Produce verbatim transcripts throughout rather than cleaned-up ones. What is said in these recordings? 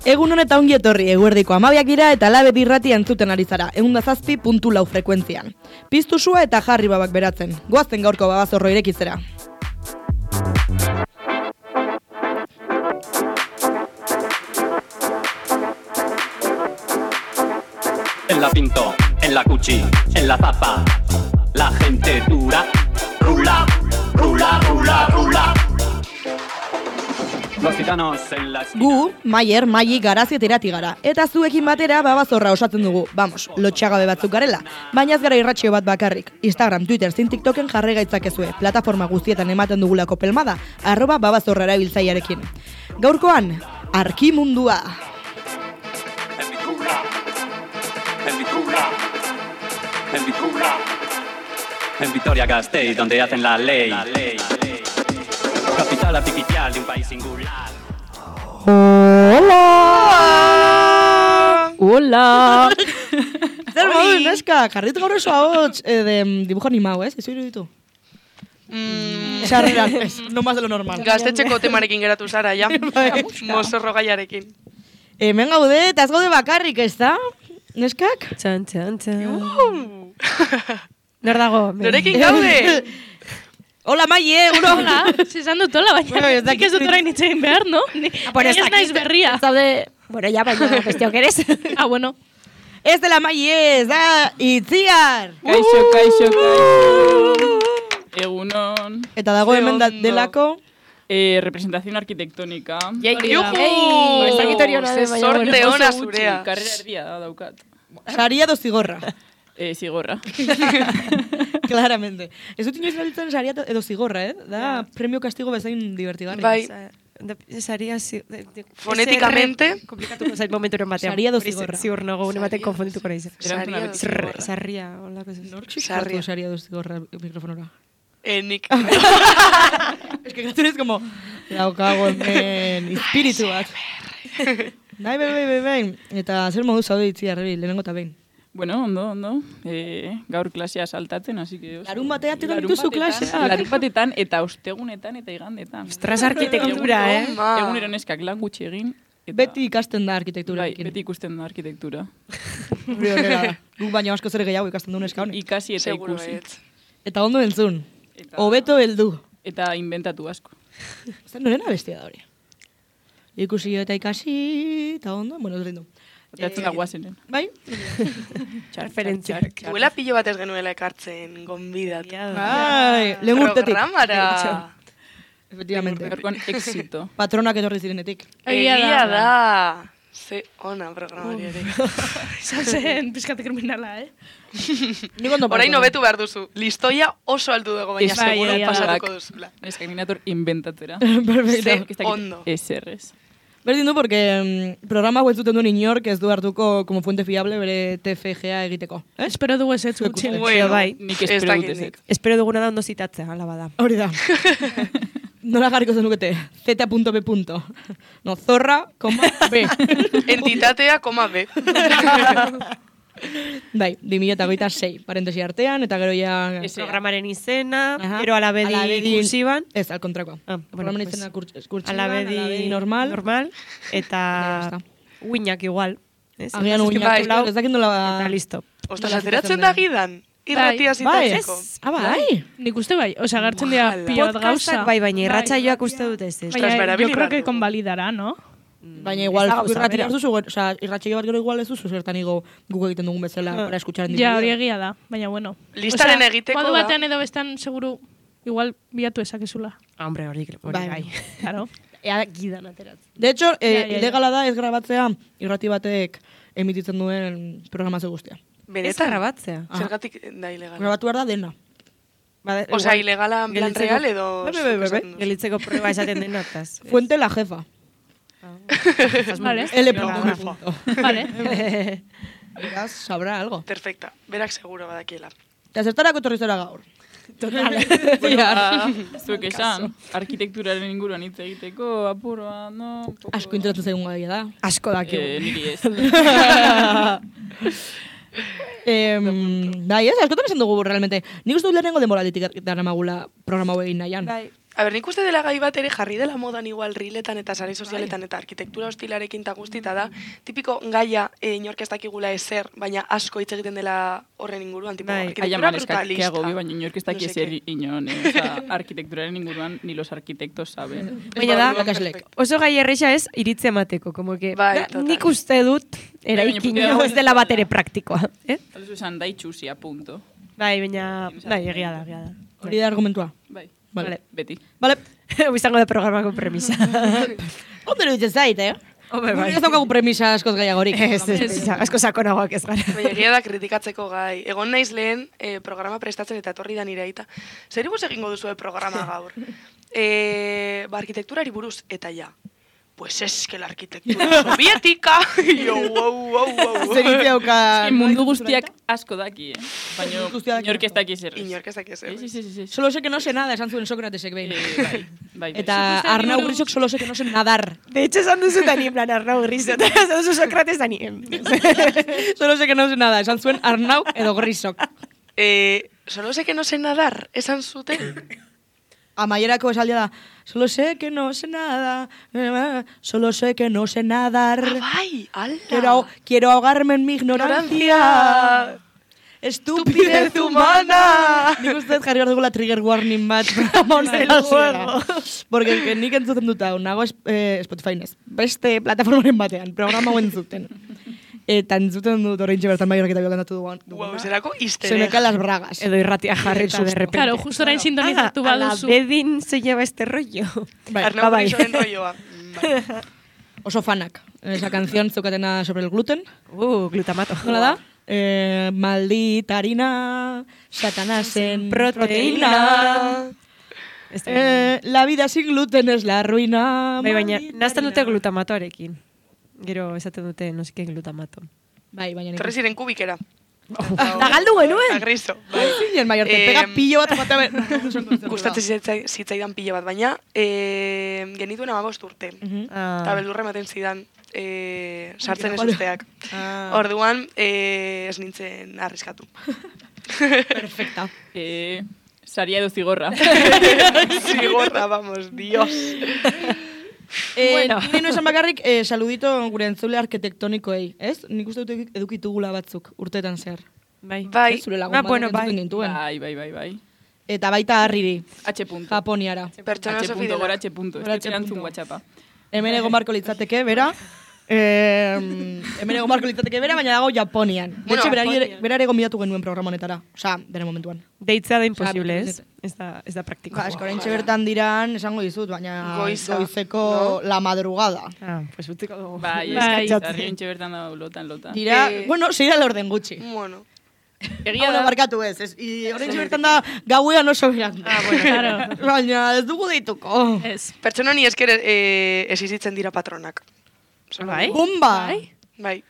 Egun honeta ongi etorri, eguerdiko amabiak dira eta Labedi irratia entzuten ari zara, egun da zazpi puntu lau frekuentzian. Piztu sua eta jarri babak beratzen, goazten gaurko babazorro irekitzera. En la Pinto, en la Cuchi, en la Zapa, la gente dura, rula, rula, rula, rula. Los gitanos en la esquina. Gu, Maier, Maili, Garazi eta Irati gara, eta zuekin batera babazorra osatzen dugu, vamos, lotxagabe batzuk garela, baina ez gara irratxio bat bakarrik. Instagram, Twitter, zin TikToken jarri gaitzakezue, plataforma guztietan ematen dugulako pelmada, arroba babazorra erabiltzaiarekin. Gaurkoan, arkimundua. En Vitrula, en Vitrula, en Vitrula, en Vitoria-Gasteiz, donde hacen la ley. La ley. Capital artificial de un país singular. Hola! Hola! Zer modu, neska, jarrit gaur oso ahots eh, de dibujo animado, ez? Ez iruditu? Mm. Sarreran, ez, no más de lo normal. Gaztetxeko temarekin geratu zara, ja. Mozorro gaiarekin. Hemen gaude, eta ez gaude bakarrik, ez da? Neskak? Txan, txan, txan. Uh. Nor dago? Norekin gaude? Hola, Maie, uno. Hola, zizan dut hola, baina Bueno, ez nik ez dut orain itxegin behar, no? Ni, bueno, ez naiz berria. Zaude, bueno, ya, baina besteok eres. Ah, bueno. Ez dela Maie, ez da Itziar. Kaixo, kaixo, kaixo. Egunon. Eta dago Ze hemen da, ondo. delako. Eh, representación arquitectónica. Juhu! Ez dakit hori ona Ze den, baina sorte bueno. ona Oso gutxi, zurea. Karrera erdia da daukat. Saria do zigorra. Eh, zigorra. Claramente. Ez dut inoiz erabiltzen saria edo zigorra, eh? Da premio castigo bezain divertigarri. Bai. Saria, si, de, de, Fonéticamente. S R komplikatuko zait momenturen batean. Saria do Hori zigorra. Ziur nago, une baten konfundituko nahi. Saria do zigorra. Sarria, holako ez. Nork Sarria. sartu saria do zigorra mikrofonora? Eh, nik. Es que gatur es como daukago hemen espiritu bat. Bai, bai, bai, bai, bai. Eta zer modu zaude Itziar, lehenengo eta behin. Bueno, ondo, ondo. Eh, gaur klasea saltatzen, así que... oso- Larun batean tiran Larun dituzu batetan, klaseak. Larun batetan eta ostegunetan eta igandetan. Ostras, arkitektura, eh? Ma. Egunero neskak lan gutxi egin. Eta, Beti ikasten da arkitektura. bai, beti ikusten da arkitektura. Hori horrela da. Guk baino asko zer gehiago ikasten du neska honek. Ikasi eta Seguro ikusi. baietz. Eta ondo entzun. Eta- Hobeto heldu. Eta inventatu asko. Zer norena bestia da hori. Ikusi eta ikasi, eta ondo, bueno, ez rindu. Eta atzen da guazenen. Bai? Referentzia. Huela pilo bat ez genuela ekartzen gonbidat. Bai, lehen urtetik. Programara. Efectivamente. Gaurkoan éxito. Patronak etorri zirenetik. Egia Egia da. da. Ze ona programari ere. Izan zen pizkate kriminala, eh? Nik ondo Orain parto. hobetu behar duzu. Listoia oso altu dago, baina Ez, bai, seguro egia da. pasatuko duzula. Neskak minator inventatzera. Perfecto. Ze ondo. Eserrez. Berdin du, porque mm, programa hau ez duten duen inork ez du hartuko como fuente fiable bere T F G A egiteko. Eh? Espero dugu ez ez gutxi. Bueno, bai. Nik ez espero dakit dut nik. ezek. Espero duguna da ondo zitatzea, ala bada. Hori da. Nola jarriko zenukete? Z punto B. No, zorra, koma, B. Entitatea, koma B. Bai, bi mila hogeita sei, parentesi artean, eta gero ja... Ez, Programaren izena, Aha. gero alabedi Alabedi- kursiban. Ez, al kontrakoa. Ah, bueno, Programaren pues, izena kurtz- kurtsiban, Alabedi, alabedi normal. normal Ya eta está. uinak igual. Ez? Agian Ez, uinak, bai. ez dakit nola... Eta listo. Ostras, Nola ateratzen zitatzen da den. gidan. Irratia Bai, zitatzeko. ah, bai. Nik uste bai, osea, gartzen dira Ojalá. pilo bat gauza. Podcastak bai, baina irratsaioak uste dut ez. ez. Ostras, Baina, berabili yo creo que behar dugu. convalidará, ¿no? Baina igual, Ez da gauza irratxio bera. bat duzu, osea, irratxio bat gero igual ez duzu, zertan igo guk egiten dugun bezala, para escuchar en Ja, hori diferido. egia da, baina bueno. Listaren Osea, egiteko modu da. batean edo bestan, seguru, igual bilatu ezakezula. Ah, hombre, hori hori Bai. bai. Claro. Ea gidan ateratzen. De hecho, eh, Ja, ja, ja. ilegala da ez grabatzea irrati batek emititzen duen programazio guztia. Ez Benetan. grabatzea. Zergatik da ilegal. Grabatu behar da dena. Bada, Osea, igual, ilegala en plan gelitzeko- real edo... Bai, bai, bai, bai. esaten duzu? Gelitzeko proba esaten denataz. Fuente la jefa. Vale. L. Jefa. Vale. Beraz, sabrá algo. Perfecta. Berak seguro badakiela. Eta zertarako etorri zara gaur. Bueno, zuek esan, arkitekturaren inguruan hitz egiteko, apurua, no... Poco... Asko interesatzen zaigun gaia da. Asko dakigu. Eh, niri ez. Em, bai, ez, askotan esan dugu realmente. Nik uste dut lehenengo denboralditik daramagula programa hau egin nahian. Bai. A ber, nik uste dela gai bat ere jarri dela modan igual riletan eta sare sozialetan eta arkitektura hostilarekin ta guztita da, tipiko gaia e, inork ez dakigula ezer, baina asko hitz egiten dela horren inguruan, tipo Bai. arkitektura Aiaman brutalista. eskakiago bi, baina inork ez daki No sé ezer inon, eh? Osa, arkitekturaren inguruan ni los arkitektos saben. Baina da, Irakaslek. oso gai erresa ez iritzi emateko, como que Bai, da, total. nik uste dut eraikin baina hau ez dela bat ere praktikoa. Eh? Alzu esan da itxusia, punto. Bai, baina, bai, egia da, egia da. Hori da argumentua. Bai, Vale. beti. Vale. Hau izango da programako premisa. Ondo ditzen zait, eh? Hombre, bai. Ez daukagu premisa askoz gaiagorik. Ez, ez, ez, asko sakonagoak ez gara. Baina egia da kritikatzeko gai. Egon naiz lehen eh, programa prestatzen eta etorri da nire aita. Zer ibuz egingo duzu programa gaur? Eh, ba, arkitekturari buruz, eta ja. Pues es que la arquitectura soviética. Yo, wow, wow, wow. Zer hitz dauka... Eske mundu guztiak asko daki, eh? Baina Guztiak daki. inork ez daki zer. Inork ez dakez. Sí, sí, sí, sí. Solo sé que no sé nada, esan zuen Sokratesek behin. Eh, bai, bai, bai. Eta Arnau Grisok solo sé que no sé nadar. De hecho, esan duzu tani, en plan, Arnau Griso, eta esan duzu Sokrates tani. Solo sé que no sé nada, esan zuen Arnau edo Grisok. Eh, solo sé que no sé nadar, esan zuten. Amaierako esaldia da, solo sé que no sé nada, solo sé que no sé nadar. Ah, bai, ala. Quiero, quiero ahogarme en mi ignorancia. Ignorancia. Estupidez humana! Nik uste dut jarri hor dugula trigger warning bat programa honen hasiera. Porque que nik entzuten dut hau, nago es- eh, Spotify nez. Beste plataformaren batean, programa hau entzuten. Eta entzuten dut horreintxe bertan bai horreketa biokantatu dugu. Wow, zerako Se me histeria. caen las bragas. Edo irratia jarri eta Susto. de repente. Claro, justo orain sintonizatu Ah, a la baduzu. bedin se lleva este rollo. Bai, Arnau bai. Grisoren rolloa. Bai. oso fanak. Esa canción zeukatena sobre el gluten. Uh, glutamato. Nola da? Eh, maldita harina, satanasen Proteína. proteína. Este, Eh, la vida sin gluten es la ruina. bai, baina, maldita nazten dute harina. glutamatoarekin. Gero esaten dute, no seke glutamato. Bai, baina nik. Torre ziren kubikera. Da galdu genuen. A Griso. Bai, zinen, bai, orte, Em, pega pillo bat jota ber. Gustatzen zitzai- zitzaidan pila bat, baina eh, genituen amabost urte. Ah. Eta beldurra ematen zidan eh, sartzen ez Vale. usteak. Ah. Orduan, eh, ez nintzen arriskatu. Perfecta. Eh, saria edo zigorra. Zigorra, vamos, dios. Eh, Bueno. Ni no esan bakarrik, eh, saludito gure entzule arkitektonikoei, ez? Nik uste dut edukitugula batzuk urtetan zer. Bai. Bai, Ez, zure lagun Ah, batek bueno, entzuten bai. gintuen. Bai, bai, bai, bai. Eta baita harriri, H punto. Japoniara. pertsona H oso punto, fidela. gora H punto. Ez Gora dut H erantzun punto. WhatsAppa. Hemen egon barko litzateke, bera. Eh, hemen egon barko litzateke bera, baina dago Japonian. De Bueno, hecho, berari ere- Japonian. berare gonbidatu genuen programa honetara. Osea, bere momentuan. Deitzea da imposible, Osea, ez? Ez da, ez da praktiko. Ba, esko oraintxe bertan diran, esango dizut, baina Goiza, goizeko la madrugada. Ah, pues utziko dugu. Bai, Bai. ez sarri entxe bertan da lotan, lotan. Dira, Eh, bueno, seira lorden gutxi. Bueno, Egia Hau da, da, barkatu ez, ez. I oraintxe bertan da gauean oso beran. Ah, bueno. Claro. Baina ez dugu deituko. Ez. pertsona ni esker eh, esizitzen dira patronak. Solo Bai? digo. Bomba! Bai.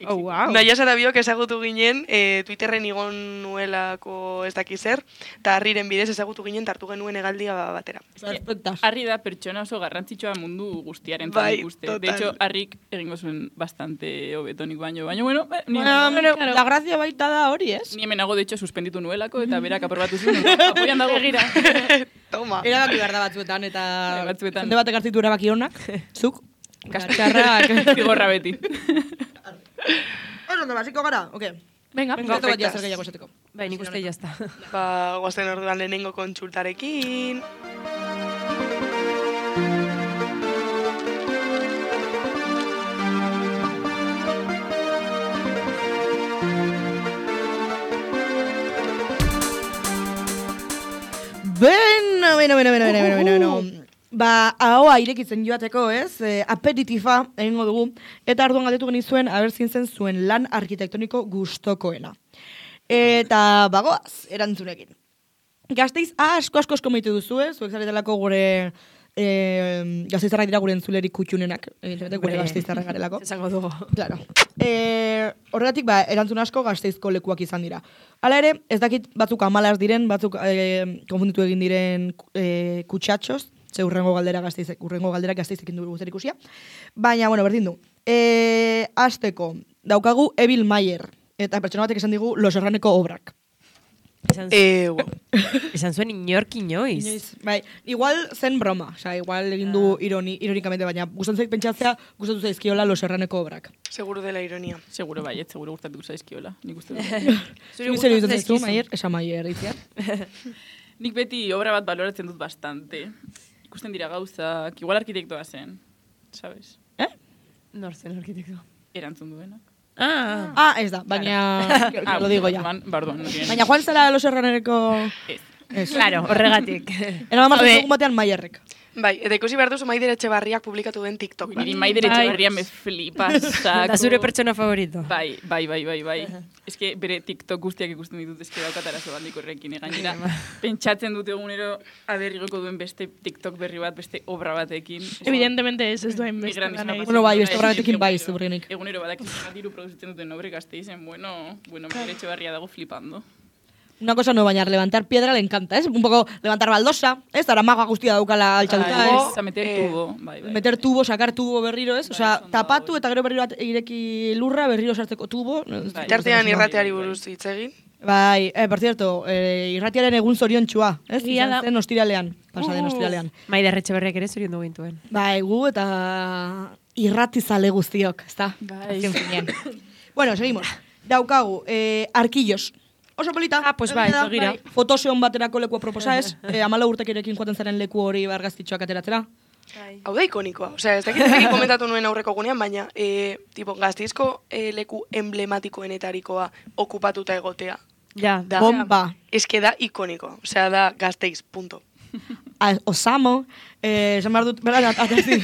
Oh, wow. Naia zara biok ezagutu ginen, e, Twitterren igon nuelako ez daki zer, eta harriren bidez ezagutu ginen tartu genuen hegaldia batera. Perfectas. harri da pertsona oso garrantzitsua mundu guztiaren Bai, ikuste. total. De hecho, harrik egingo zuen bastante hobetonik baino. Baina, bueno, eh, ni, Bueno, Claro. la gracia baita da hori, ez? ni hemenago, de hecho, suspenditu nuelako, eta berak aprobatu zuen. Apoian dago. Egira. Toma. Erabaki behar da batzuetan, eta Bai, batzuetan. jende batek hartzitu erabaki honak, zuk, kaskarrak. Zigorra beti. Oso ondo, basiko gara, oke. Venga. Venga, bat perfectas. zer gehiago esateko. Bai, nik uste jazta. Ba, guazen orduan lehenengo kontsultarekin. Beno, beno, beno, beno, beno, beno, beno. Ba, ahoa irekitzen joateko, ez? E, aperitifa egingo dugu. Eta arduan galdetu genizuen, aber zintzen zuen lan arkitektoniko gustokoena. Eta bagoaz, erantzunekin. Gazteiz asko asko asko maitu duzu, eh? Zuek zaretelako gure e, gazteizarrak dira gure entzulerik kutxunenak. Evidentemente, gure Hombre. gazteizarrak garelako. Esango dugu. Claro. E, horregatik, ba, erantzun asko gazteizko lekuak izan dira. Hala ere, ez dakit batzuk amalas diren, batzuk e, konfunditu egin diren e, kutsatxoz, ze urrengo galdera gazteizek, urrengo galdera gazteizekin du zer ikusia. Baina, bueno, berdin du. E, azteko, daukagu Evil Mayer, eta pertsona batek esan digu Los Herraneko obrak. Esan, Eh, wow. esan zuen inork inoiz. Inoiz, bai, igual zen broma, osea, igual egin du ironi, ironikamente, baina gustatzen zait pentsatzea, gustatu zaizkiola Los Serraneko obrak. Seguro dela ironia. Seguro baiet, seguro gustatuko zaizkiola. Nik uste dut. Zuri zer iruditzen zaizu, Maier? Esa Maier, izia. Nik beti obra bat baloratzen dut bastante. Ikusten dira gauzak, igual arkitektoa zen, sabes? Eh? Nor zen arkitekto. Erantzun duenak. Ah, Ah, ez da, baina, lo digo ya. Barduan, barduan, no tiene- Baina Juan zara Los Serraneko... Ez. Ez. claro, horregatik. Era mamar Joder. egun batean Maierrek. Bai, eta ikusi behar duzu Maider Etxebarriak publikatu den TikTok. Niri bat. Maider Bai. Etxeberria me flipa, sako. Da zure pertsona favorito. Bai, bai, bai, bai, bai. Eske bere TikTok guztiak ikusten ditut, eske daukat arazo handiko horrekin. Gainera, pentsatzen dut egunero aberrigoko duen beste TikTok berri bat, beste obra batekin. Evidentemente ez ez duen Mi beste gran lan izan egiten. Bueno, bai, beste Egunero- obratekin bai, ziurrenik. Egunero badak diru produzitzen duten obre Gasteizen, bueno, bueno, Maider Etxeberria dago flipando. Una cosa no, baina levantar piedra le encanta, ¿es? Un poco levantar baldosa, ¿es? Ara maga guztia daukala altxatuta, Bai, ¿es? a meter eh, tubo, bai, bai. Meter tubo, sacar tubo berriro, ¿es? Bai, Osea, oso ondo tapatu dago, eta gero berriro bat ireki lurra, berriro sartzeko tubo. Bai. Tartean Bai, irrateari bai, bai. buruz hitz egin. Bai, eh, por cierto, eh, irratiaren egun zoriontxua, ez? Egia Izan da. zen ostiralean, pasaden Uh. ostiralean. Maider Etxeberriak ere zorion du gintuen. Bai, gu eta irratizale guztiok, ezta? Bai. Azken finean. Bueno, seguimos. Daukagu, eh, arkillos. Oso polita. Ah, pues bai, egia da, begira. Fotoseon baterako lekua proposa ez. eh, amala urtekirekin joaten zaren leku hori argazkitxoak ateratzera. Hau da ikonikoa. Osea, ez dakit ez dakit komentatu nuen aurreko gunean, baina e, tipo, Gasteizko e, leku emblematikoenetarikoa okupatuta egotea. Ja, Da, Bomba. eske da ikonikoa. Osea, da Gasteiz, punto. A, osamo, eh, esan behar dut, bertan, aterazi,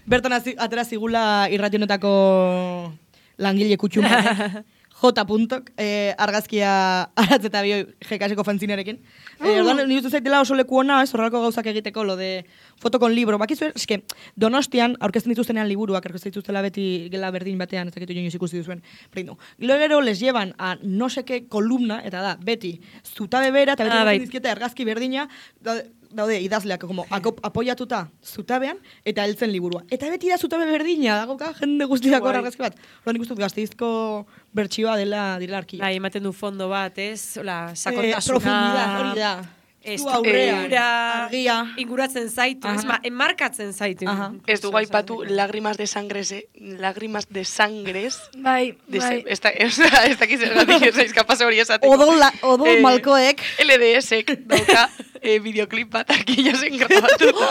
bertan hazi- atera zigula irrationetako langile kutxun batek, J. puntok, eh, argazkia aratz eta bioi jekaseko fanzinerekin. Eh, orduan, nire uste zaitela oso leku ona, ez, horrelako gauzak egiteko, lo de foto con libro. Bakizu, eske, Donostian, aurkezten dituztenean liburuak, aurkezten dituztela beti gela berdin batean, ez dakitu joinoz ikusi duzuen. Brindu. Gero gero les llevan a no seke kolumna, eta da, beti, zutabe bera, eta beti Ah, ah, bai. dizkieta argazki berdina, daude, daude idazleak, como, akop, apoiatuta zutabean, eta heltzen liburua. Eta beti da zutabe berdina, dagoka jende guztiako Guai. argazki bat. Horren ikustu Gasteizko bertsioa dela direla arkilla. bai, ematen du fondo bat, ez? Hola, Eh, sakontasuna. profundidad, hori da. Ez, Zu aurrean, ura, argia. inguratzen zaitu, ez, Aha. ma, enmarkatzen zaitu. Aha. Ez dugu aipatu lágrimas de sangres, eh? lágrimas de sangres. Bai, De bai. se- ez da- ez da- ez dakit zergatik ez naiz kapaz hori esateko. Odol, la, odol Eh, malkoek. L D S-ek dauka eh, videoclip bat arkillosen grabatuta.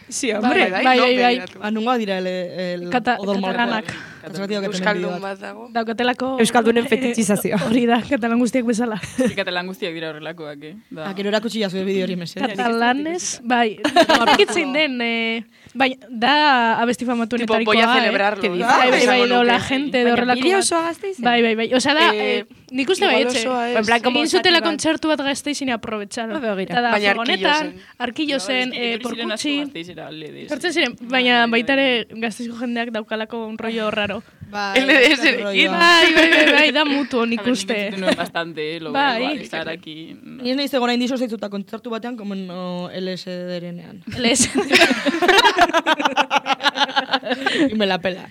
Sí, hombre. Bai, bai, no, bai, bai. begiratu. Anungoa dira el, el Kata- odol malkoak. katalanak. Katalatiak eten Euskaldun bideo bat. bat dago. Daukatelako... Euskaldunen fetitxizazioa. Hori da, katalan guztiak bezala. Katalan guztiak dira horrelakoak, eh? Da. Ah, gero erakutsi jazu bideo hori mesedez. Katalanez, bai, horrekitzen den, eh, bai, da abesti famatuenetarikoa, Tipo, voy a eh? celebrarlo. Que dice, Bai, bai, bai, Esango edo la nuke. gente de Baina horrelako bideo bat. osoa Gasteizen? Bai, bai, bai. Osea, da, Eh, eh, nik uste igual baietxe. osoa ez. En plan, como Egin zutela zati bat. kontzertu bat Gasteizin aprovecharon. Ah, begira. Eta da, Baina furgonetan, Arkilosen. Arkilosen, eh, porkutxin. Porkutxin. Sortzen ziren, baina baita ere Gasteizko jendeak daukalako un rollo raro. Bai, L D S rolloa. ekin. Bai, bai, bai, bai, da mutuo nik uste. Nuen bastante, eh, lo Bai. bai. Estar aquí. no. Ni ez nahiz egon hain diso zaitzuta kontzertu batean, como no L S D-renean. Les. Y me la pela.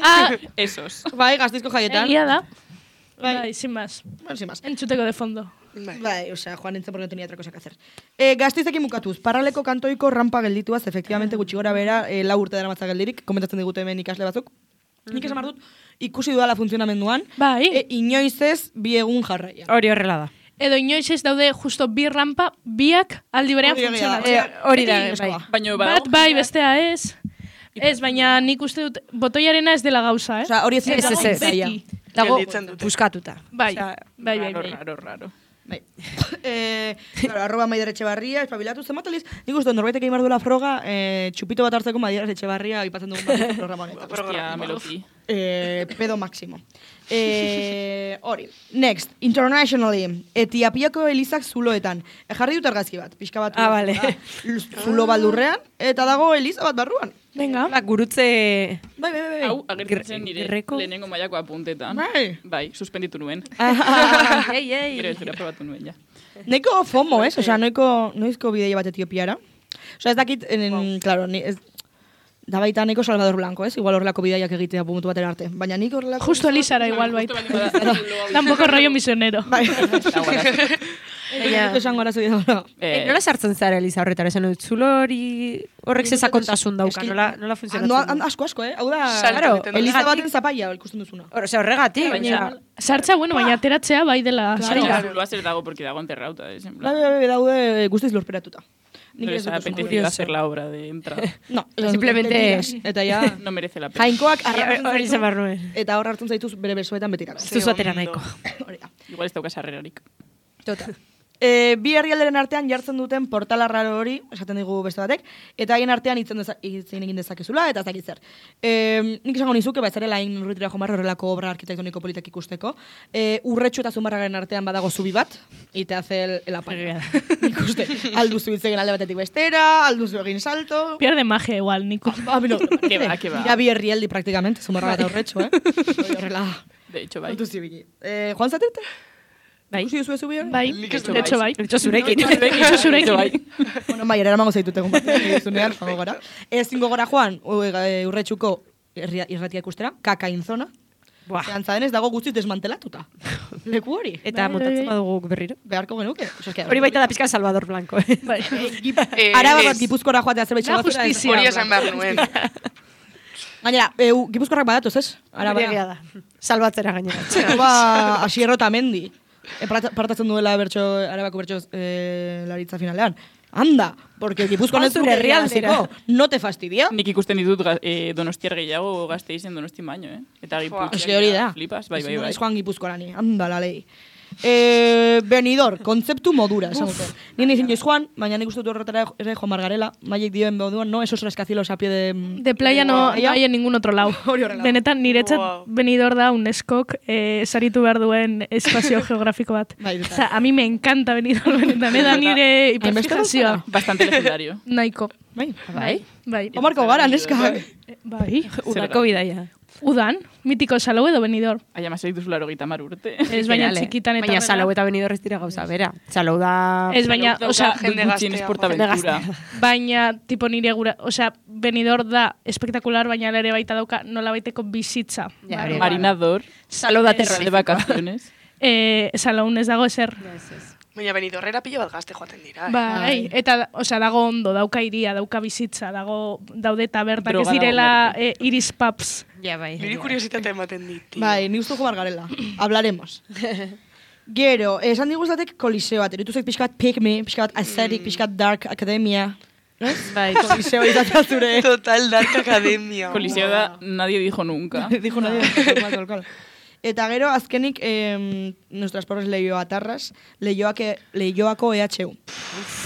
Ah, Esos. Bai, Gasteizko jaietan. egia da. Bai. Bai, sin más. Bueno, sin más. Entzuteko de fondo. Bai. Bai, o sea, Juan nintzen porque no tenía otra cosa que hacer. Eh, Gasteizekin bukatuz, parraleko kantoiko rampa geldituaz, efectivamente gutxi gora bera, eh, lau urte dara matza geldirik, komentatzen digute hemen ikasle batzuk. Nik esan behar dut, ikusi dudala funtzionamenduan, Bai. e, inoiz ez bi egun jarraia. Hori horrela da. Edo inoiz ez daude justo bi rampa, biak aldi berean Hori egia da. funtzionatzen. Osea, hori da, beti bai. eskoa. Baina Bat badago bai, bestea ez. Ez, baina nik uste dut, botoiarena ez dela gauza, eh? Osea, hori ez Ez, ez, ez. zaila. Dago, Gelditzen dute. puskatuta. Bai, Osea, bai, bai, raro, bai. raro, raro. Bai. eh, claro, arroba Maider Etxebarria, espabilatu zenbat aliz. Nik uste, norbaitek egin behar duela froga, eh, txupito bat hartzeko Maider Etxebarria aipatzen dugun bat programa honetan. Hostia, meloti. Eh, pedo máximo. Eh, hori. Next, internationally, Etiapiako elizak zuloetan. E, jarri dut argazki bat, pixka bat. Ah, vale. Zulo baldurrean, eta dago eliza bat barruan. Venga. Ba, gurutze... Bai, bai, bai. Hau, agertzen nire Gerreko? lehenengo mailako apuntetan. Bai. Bai, suspenditu nuen. Ei, ei. Gero ez dira probatu nuen, ja. Neko fomo, ez? Osea, noiko, noizko bideia bat Etiopiara. Osea, ez dakit, en, wow. claro, ni, ez, da baita neko Salvador Blanco, ez? Igual horrelako bideiak egitea puntu batera arte. Baina nik horrelako... Justo Elizara igual Justo baita. baldin bada zulo hau Tampoco rollo misionero. Bai. izan, guarazo. Baina, esango arazo dira. Eh, nola sartzen zara Eliza horretara, esan dut, zulo hori horrek ze sakontasun dauka, nola, nola funtzionatzen? No, asko, asko, eh? Hau da, Salto claro, egiten du. Eliza baten zapaia ikusten duzuna. Ose, horregatik, baina... Sartza, bueno, baina ateratzea bai dela Claro. zaila. Zuloa zer dago, porque dago enterrauta, eh, en Bai, plan. bai, bai, daude guztiz lorperatuta. No les ha apetecido hacer la obra de entrada. No, Simplemente- Eta ja, No merece la pena. jainkoak arratzen Hori zaitu, zen barruen. eta hor hartzen zaituz bere besoetan betirako. Ez duzu atera nahiko. Hori da. Igual ez dauka sarrerarik. Total. E, bi herrialderen artean jartzen duten portala raro hori, esaten digu beste batek, eta haien artean hitzen deza, hitzen egin dezakezula, eta ez dakit zer. E, nik esango nizuke, ba, zerela hain urritira jomarro horrelako obra arkitektoniko politak ikusteko. E, urretxu eta zumarragaren artean badago zubi bat, ite hace el, el apaño. Ikuste, alduzu hitzegen alde batetik bestera, alduzu egin salto... Pierde magia igual, Nico. Ah, no, Que va, que va. Dira bi herrialdi praktikamente, zumarraga eta urretxu, eh? Hori horrela... De hecho, bai. Kontu zibili. Eh, Juan Zatirte? Bai. Ikusi duzu zubi hori? Bai, Nik ez de hecho bai. Etxo zurekin. Etxo zurekin. Bueno, bai, eramango zaitut egun bat, zunean, joango gara. Ez zingo gora joan, u- e, urretxuko irria- irratia ikustera, kakain zona. Buah. Antza denez dago guztiz desmantelatuta. Leku hori. Eta Bai, montatzen bai, bai. badugu berriro. Beharko genuke. Oso, eske, Hori baita da pizka Salvador Blanco, eh? Bai. Eh, Araba bat ez. Gipuzkora joatea zerbait Da txabatzera. justizia. Hori esan behar nuen. Gainera, e, u- Gipuzkoarrak badatoz, ez? Araba. Hori egia da. Salbatzera gainera. Ba, Asierro Tamendi. E, parta- partatzen duela bertso, arabako bertso e, laritza finalean. Anda, porque Gipuzkoan ez Zure duke herrialdera. irabaziko. No te fastidia? Nik ikusten ditut ga- eh, donostiar gehiago Gasteizen donosti baino, eh? Eta Joa. Gipuzkoan. Eske hori da. Flipas, bai, bai, Ez bai. naiz joan Gipuzkoarani, anda la lei. Eh, Benidor, kontzeptu modura, esan dute. Ni nahi zinioiz joan, baina nik uste dut horretara ere joan margarela, maiek dioen moduan, no, esos rascacielos a pie de... De playa no, Playa. no hay en ningún otro lado. Hori horrela. Benetan niretzat Wow. Benidorm da UNESCOk eh, saritu behar duen espazio geografiko bat. Bai, total. Osa, a mi me encanta Benidorm, benetan, eda nire Hainbeste hiperfijazioa. Bastante legendario. Nahiko. Bai. Bai? Bai. Omarko gara, neska. Eh, Bai. Udako bidaia. Udan, mitiko Salou edo Benidorm. Aia masai duzu laro gita mar urte. Ez baina Generale. txikitan eta Baina horrela. Salou eta Benidorm ez dira gauza, bera. Salou da... Ez baina, Dauka osea, jende Gutxienez gaztea, portaventura. baina tipo nire gura, osea, Benidorm da espektakular, baina ere baita dauka nola baiteko bizitza. Ja, Bai. hori. Marinador. Salou da De terrorífico. vacaciones. Eh, Salaun ez dago ezer. Baina Benidorrera pilo bat gazte joaten dira. eh. Bai, eta osea, dago ondo, dauka iria, dauka bizitza, dago daude tabernak ez Droga dago direla merke. eh, iris pubs. Ja, bai. Niri kuriositate ematen dit. tío. Bai, ni uste jo margarela. Hablaremos. Gero, esan diguztatek koliseo bat, eritu zait pixka bat pick me, pixka bat aesthetic, pixka bat dark academia. Ez? Bai, Koliseo izatea zure. Total Dark Academia. Coliseo da, nadie dijo nunca. Dijo nadie. Tal, tal, tal. Eta gero, azkenik, eh, nuestras pobres leioatarras, leioake, leioako E H U.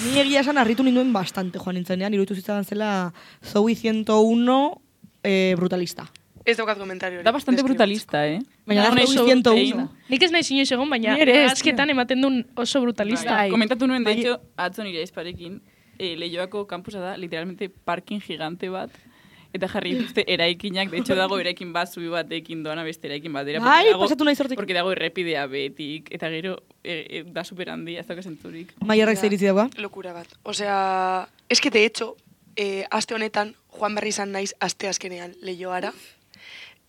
Ni egia esan harritu ninduen bastante, joan nintzenean, iruditu zitzadan zela Zoe ciento uno eh, brutalista. Ez daukat komentario hori. Da bastante Deskribatu. brutalista, eh? Baina da Dago Zoe oso ciento egin. uno. Nik ez nahi inoiz egon, baina Ni ere ez, azketan ematen duen oso brutalista. Bai. Komentatu nuen, de Bai. hecho, atzo nire aizparekin, eh, Leioako kampusa da, literalmente parking gigante bat, eta jarri dituzte eraikinak, de hecho dago eraikin bat, zubi batekin doana beste eraikin batera. porque Bai, dago- pasatu nahi zortik. Porque dago errepidea betik, eta gero eh, eh, da super handia, ez dauka zentzurik. Maierrak Ja. zeiritzi dagoa. Lokura bat. Osea, es que de hecho, eh, aste honetan, Juan berri izan naiz aste azkenean Leioara.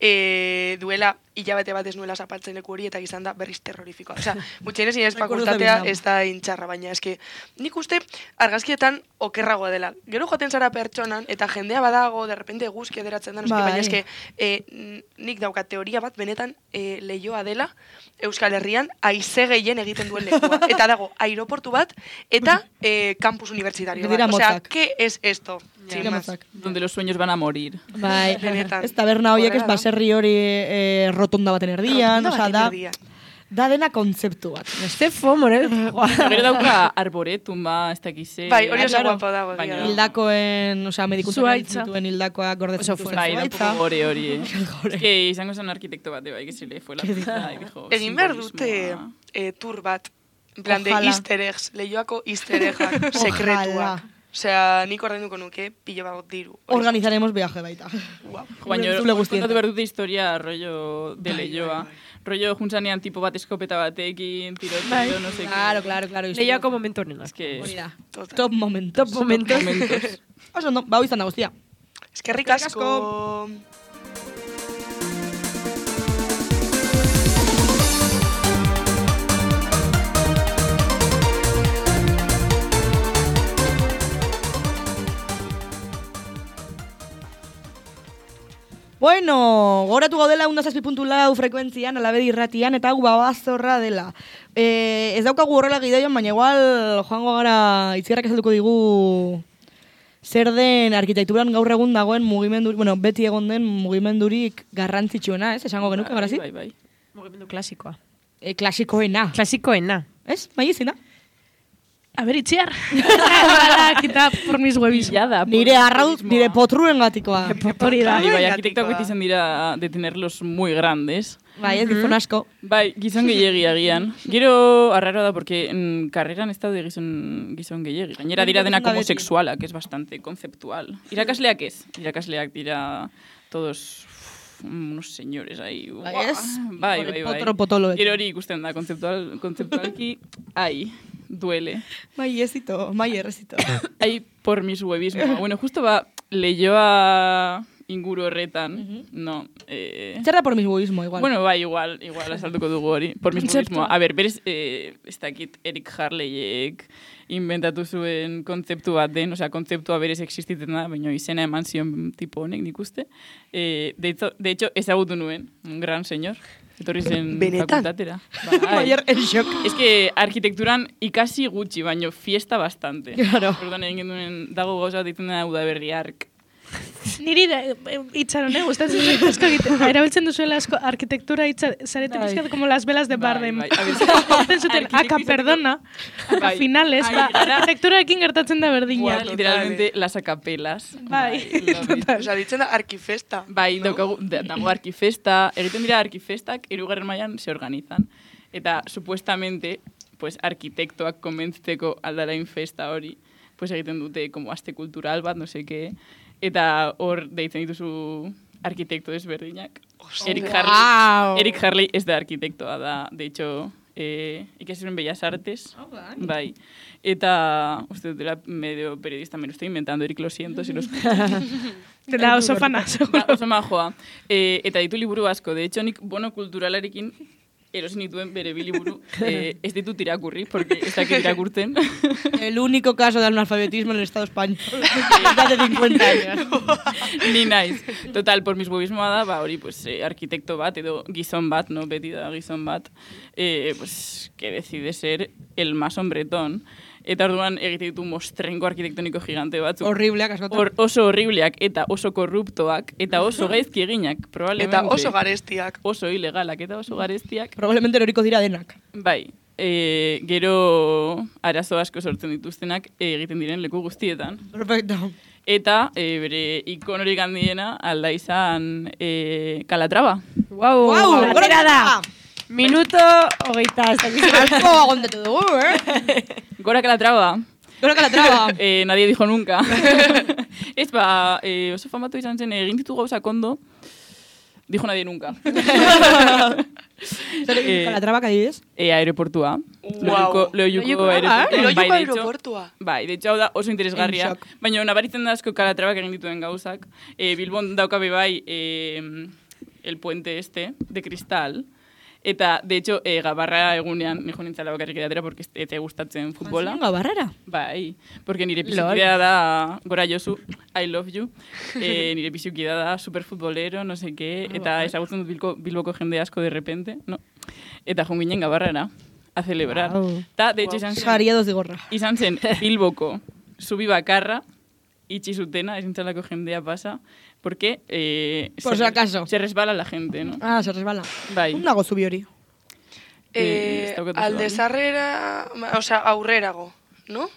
Eh, duela hilabete bat ez nuela zapaltzen leku hori eta izan da berriz terrorifikoa. Osea, gutxienez nire Recuerdos de fakultatea Vietnam. ez da intxarra, baina eske nik uste argazkietan okerragoa dela. Gero joaten zara pertsonan eta jendea badago, de repente eguzki ederatzen da, no eske, Bai. baina eske eh, n- nik daukat teoria bat benetan eh, Leioa dela Euskal Herrian haize gehien egiten duen lekua. Eta dago aireportu bat eta eh, campus universitario Dira bat. Osea, motzak. ¿qué es esto? Sin Dira más. motzak. Donde los sueños van a morir. Bai, Benetan. ez taberna horiek ez Horrela da. baserri hori eh, rotonda baten erdian, Rotonda osea, baten da, erdian. da dena kontzeptu bat. Este fomo, eh? Gero dauka arboretum ba, ez dakize. Bai, hori oso claro. guapo dago. Baina- egia da. Hildakoen, osea, medikuntza Zuhaitza. dituen hildakoak gordetzen Oso dituen bai, da un zuhaitza. poco gore hori, eh. Gore. Es que izango zen arkitekto bate, bai, que se le fue la pinza y dijo... Egin behar dute simbolismoa. eh, tour bat. En plan de Ojalá. easter eggs, Leioako easter eggak, sekretuak. Ojalá. Osea, nik ordainduko nuke pilo bat diru. Hori Organizaremos viaje baita. guau. Baina, Zule guztien. kontatu behar dute historia rollo de Bai, Leioa. bai, Rollo juntzanean tipo bat eskopeta batekin, tiroteo, Bai. no sé Claro, claro, claro. Leioako momentu honen. Es que... Hori da. Total. Top momentos. Top momentos. momentos. Oso, ondo, ba, hau izan da guztia. Eskerrik Eskerrik asko. Bueno, goratu gaudela ehun eta zazpi puntu lau frekuentzian, alabedi irratian, eta hau babazorra dela. E, ez daukagu horrela gidoian, baina igual joango gara itziarrak esalduko digu zer den arkitekturan gaur egun dagoen mugimendurik, bueno, beti egon den mugimendurik garrantzitsuena, ez? Esango genuke, garazi? Bai, bai. Mugimendu klasikoa. E, klasikoena. Klasikoena. Ez? Mai izina? A ver, itziar. Ala, kita por mis huevis. Jada, Nire arrauz, nire potruen gatikoa. Hori da. Bai, bai, arkitektoak beti izan dira de tenerlos muy grandes. Bai, ez gizon asko. Bai, gizon gehiegi agian. Gero, arraro da, porque en carreran ez daude gizon, gizon gehiegi. Gainera dira denak homosexualak, es bastante conceptual. Irakasleak ez. Irakasleak dira todos unos señores ahí. Bai, ez? Bai, bai, bai. Potro potolo. Gero hori ikusten da, conceptual, conceptualki, ai, duele. Mai ezito, mai errezito. Ai, por mis huevismo. Bueno, justo ba, lehioa inguru horretan, no. Eh, Zer da por mismoismo, igual. bueno, bai, igual, igual asaltuko dugu hori. Por mismo. A ver, berez, eh, ez dakit Eric Harleyek inventatu zuen kontzeptu bat den, osea, kontzeptua berez existiten da, baina izena eman zion tipo honek, nik uste. Eh, de, hecho, de hecho, ezagutu nuen, un gran señor. Etorri zen Benetan? fakultatera. Maier, en shock. Es que arkitekturan ikasi gutxi, baino fiesta bastante. Claro. Orduan egin duen, dago gauza bat ditzen da udaberri ark. Niri da, itxaron, eh? Gustatzen zait asko egiten. Erabiltzen duzuela asko arkitektura itxa, zarete Bai. pizkat como las velas de Bardem. Bai, bai. A ver, Egiten zuten, aka arkitektura- perdona, aka Bai. finales, Ai, ba, gara- arkitekturarekin gertatzen da berdina. Buah, literalmente las acapelas. Bai. love it. Osa, ditzen da arkifesta. Bai, daukagu, da- dago arkifesta, egiten dira arkifestak, hirugarren mailan se organizan. Eta, supuestamente, pues, arkitektoak konbentzteko aldarain festa hori, pues, egiten dute, como aste kultural bat, no sé qué, eta hor deitzen dituzu arkitekto desberdinak. Eric Harley, Wow. Eric Harley ez da arkitektoa da, de hecho, eh, ikasi zuen Bellas Artes. Bai. Eta, uste dut, dela medio periodista, me lo estoy inventando, Eric, lo siento, si lo escuchas. Dela oso fana. Ba, oso majoa. E, eta ditu liburu asko. De hecho, nik bono kulturalarekin erosi nituen bere bi liburu. E, ez ditut irakurri, porque ez dakit irakurtzen. El único caso de analfabetismo en el Estado español. Desde de cincuenta años. Ni naiz. Total, por mis huevismoa da, ba, hori, pues, eh, arkitekto bat, edo gizon bat, no, beti da gizon bat, eh, pues, que decide ser el más hombretón. Eta orduan egite ditu mostrenko arkitektoniko gigante batzuk. Horribleak askotan. Hor, oso horribleak, eta oso korruptoak, eta oso gaizki eginak, probablemente. Eta oso garestiak. Oso ilegalak, eta oso garestiak. Probablemente eroriko dira denak. Bai, e, gero arazo asko sortzen dituztenak e, egiten diren leku guztietan. Perfecto. Eta e, bere ikonorik handiena alda izan e, Calatrava. Wow, Guau, atera da. gora- Minuto hogeita, ez dakit. Asko agondatu dugu, eh? Gora Calatrava. Gora Calatrava. E, nadie dijo nunca. Ez ba, e, oso famatu izan zen, egin ditu gauzak ondo, dijo nadie nunca. Zer egin Calatrava, adibidez? E, aeroportua. Wow. Loiuko, Loiuko, loiuko ah, aeroportua. Loiuko Bai, de hecho- aeroportua. Bai, de hecho, hau da oso interesgarria. En shock. Baina nabaritzen da asko Calatrava egin dituen gauzak. E, Bilbon daukabe bai e, el puente este, de cristal. Eta, de hecho, e, gabarra egunean, nijo nintzala bakarrik edatera, porque ez te gustatzen futbola. Zinga barrera. Bai, porque nire pisukidea da, gora Josu, I love you, e, nire pisukidea da superfutbolero, no sé qué, eta ezagutzen dut Bilko, Bilboko jende asko de repente, no? Eta joan ginen gabarrara, a celebrar. Wow. Ta, de hecho, izan zen, Jaria dos digorra. izan zen Bilboko zubi bakarra, itxi zutena, ezintzalako jendea pasa, porque eh, Por si acaso. se resbala la gente, no? Ah, se resbala. Bai. Un nago zubi hori. Eh, ez Eh, daukat oso alde argi. zarrera, osea, aurrerago, no?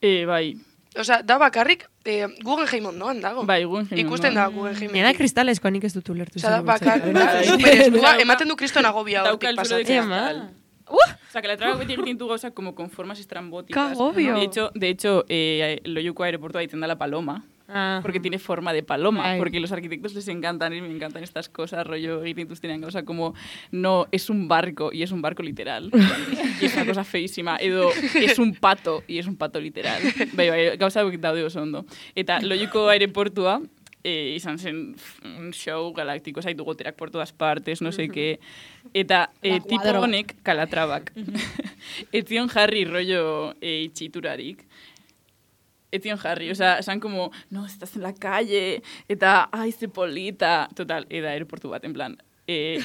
Eh, bai, Osea, da bakarrik, eh, Guggenheim ondoan dago. bai, Guggenheim Ikusten ondoan. da Guggenheim. Nena kristaleskoa nik ez dut ulertu. Osea, da zer bakar, bultzatzen. da, Bai. superestua, Dauka- ematen du kriston agobia Dauka hortik el suelo de pasatzen. cristal. Uh! O sea, que la traga beti egiten du gauzak como con formas estrambóticas. Kagobio. De hecho, de hecho eh, Loiuko aeroportua ditzen da la paloma. Ah. Porque tiene forma de paloma, Ay. porque los arquitectos les encantan y me encantan estas cosas, rollo egiten dituztenean gauza como no, es un barco y es un barco literal. Y es una cosa feísima. Edo, es un pato y es un pato literal. Bai, bai, gauza daude oso ondo. Eta Loiuko aireportua eh, izan zen un show galaktiko, zaitu goterak por todas partes, no sé qué. Eta eh, tipo cuadro. honek Calatrabak. Ez zion jarri rollo eh, itxiturarik. etzion jarri, osea, esan como, no, estás en la calle, eta, ai, ze polita, total, eda aeroportu bat, en plan, eh,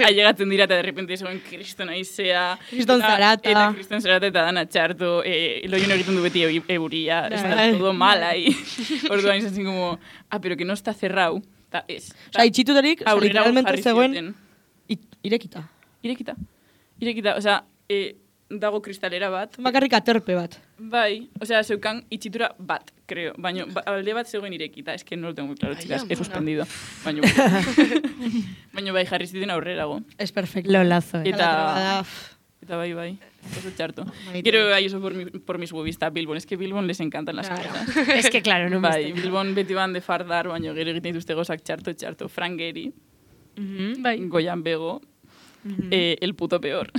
ailegatzen dira eta de repente zegoen kriston aizea, Kriston zarata. Eta kriston zarata eta dana txarto, eh, loien egiten du beti eu- euria, está todo mal ahí. Orduan izan zin como, ah, pero que no está cerrado. Ta, ez. Osa, itxituterik, Aurrera literalmente jarri zegoen zioten. it- irekita. Irekita. Irekita, osea, eh, dago kristalera bat. Bakarrik aterpe bat. Bai, osea, zeukan itxitura bat, creo. Baina, ba, alde bat zegoen irekita. Es que no lo tengo muy claro, chicas. He suspendido. Baina, baina bai, jarri ziten aurrerago. Es perfecto. Lolazo, eh. Eta, Eta... eta bai, bai. Oso txarto. Maite. Quiero ahí eso por, mi, por mis huevista Bilbon. Es que Bilbon les encantan las Claro. cosas. Es que, claro, no Bai, me Bilbon beti ban de fardar, baina gero egiten dituzte gozak txarto, txarto. Frank Gehry, Bai. Goian Bego, eh, el puto peor.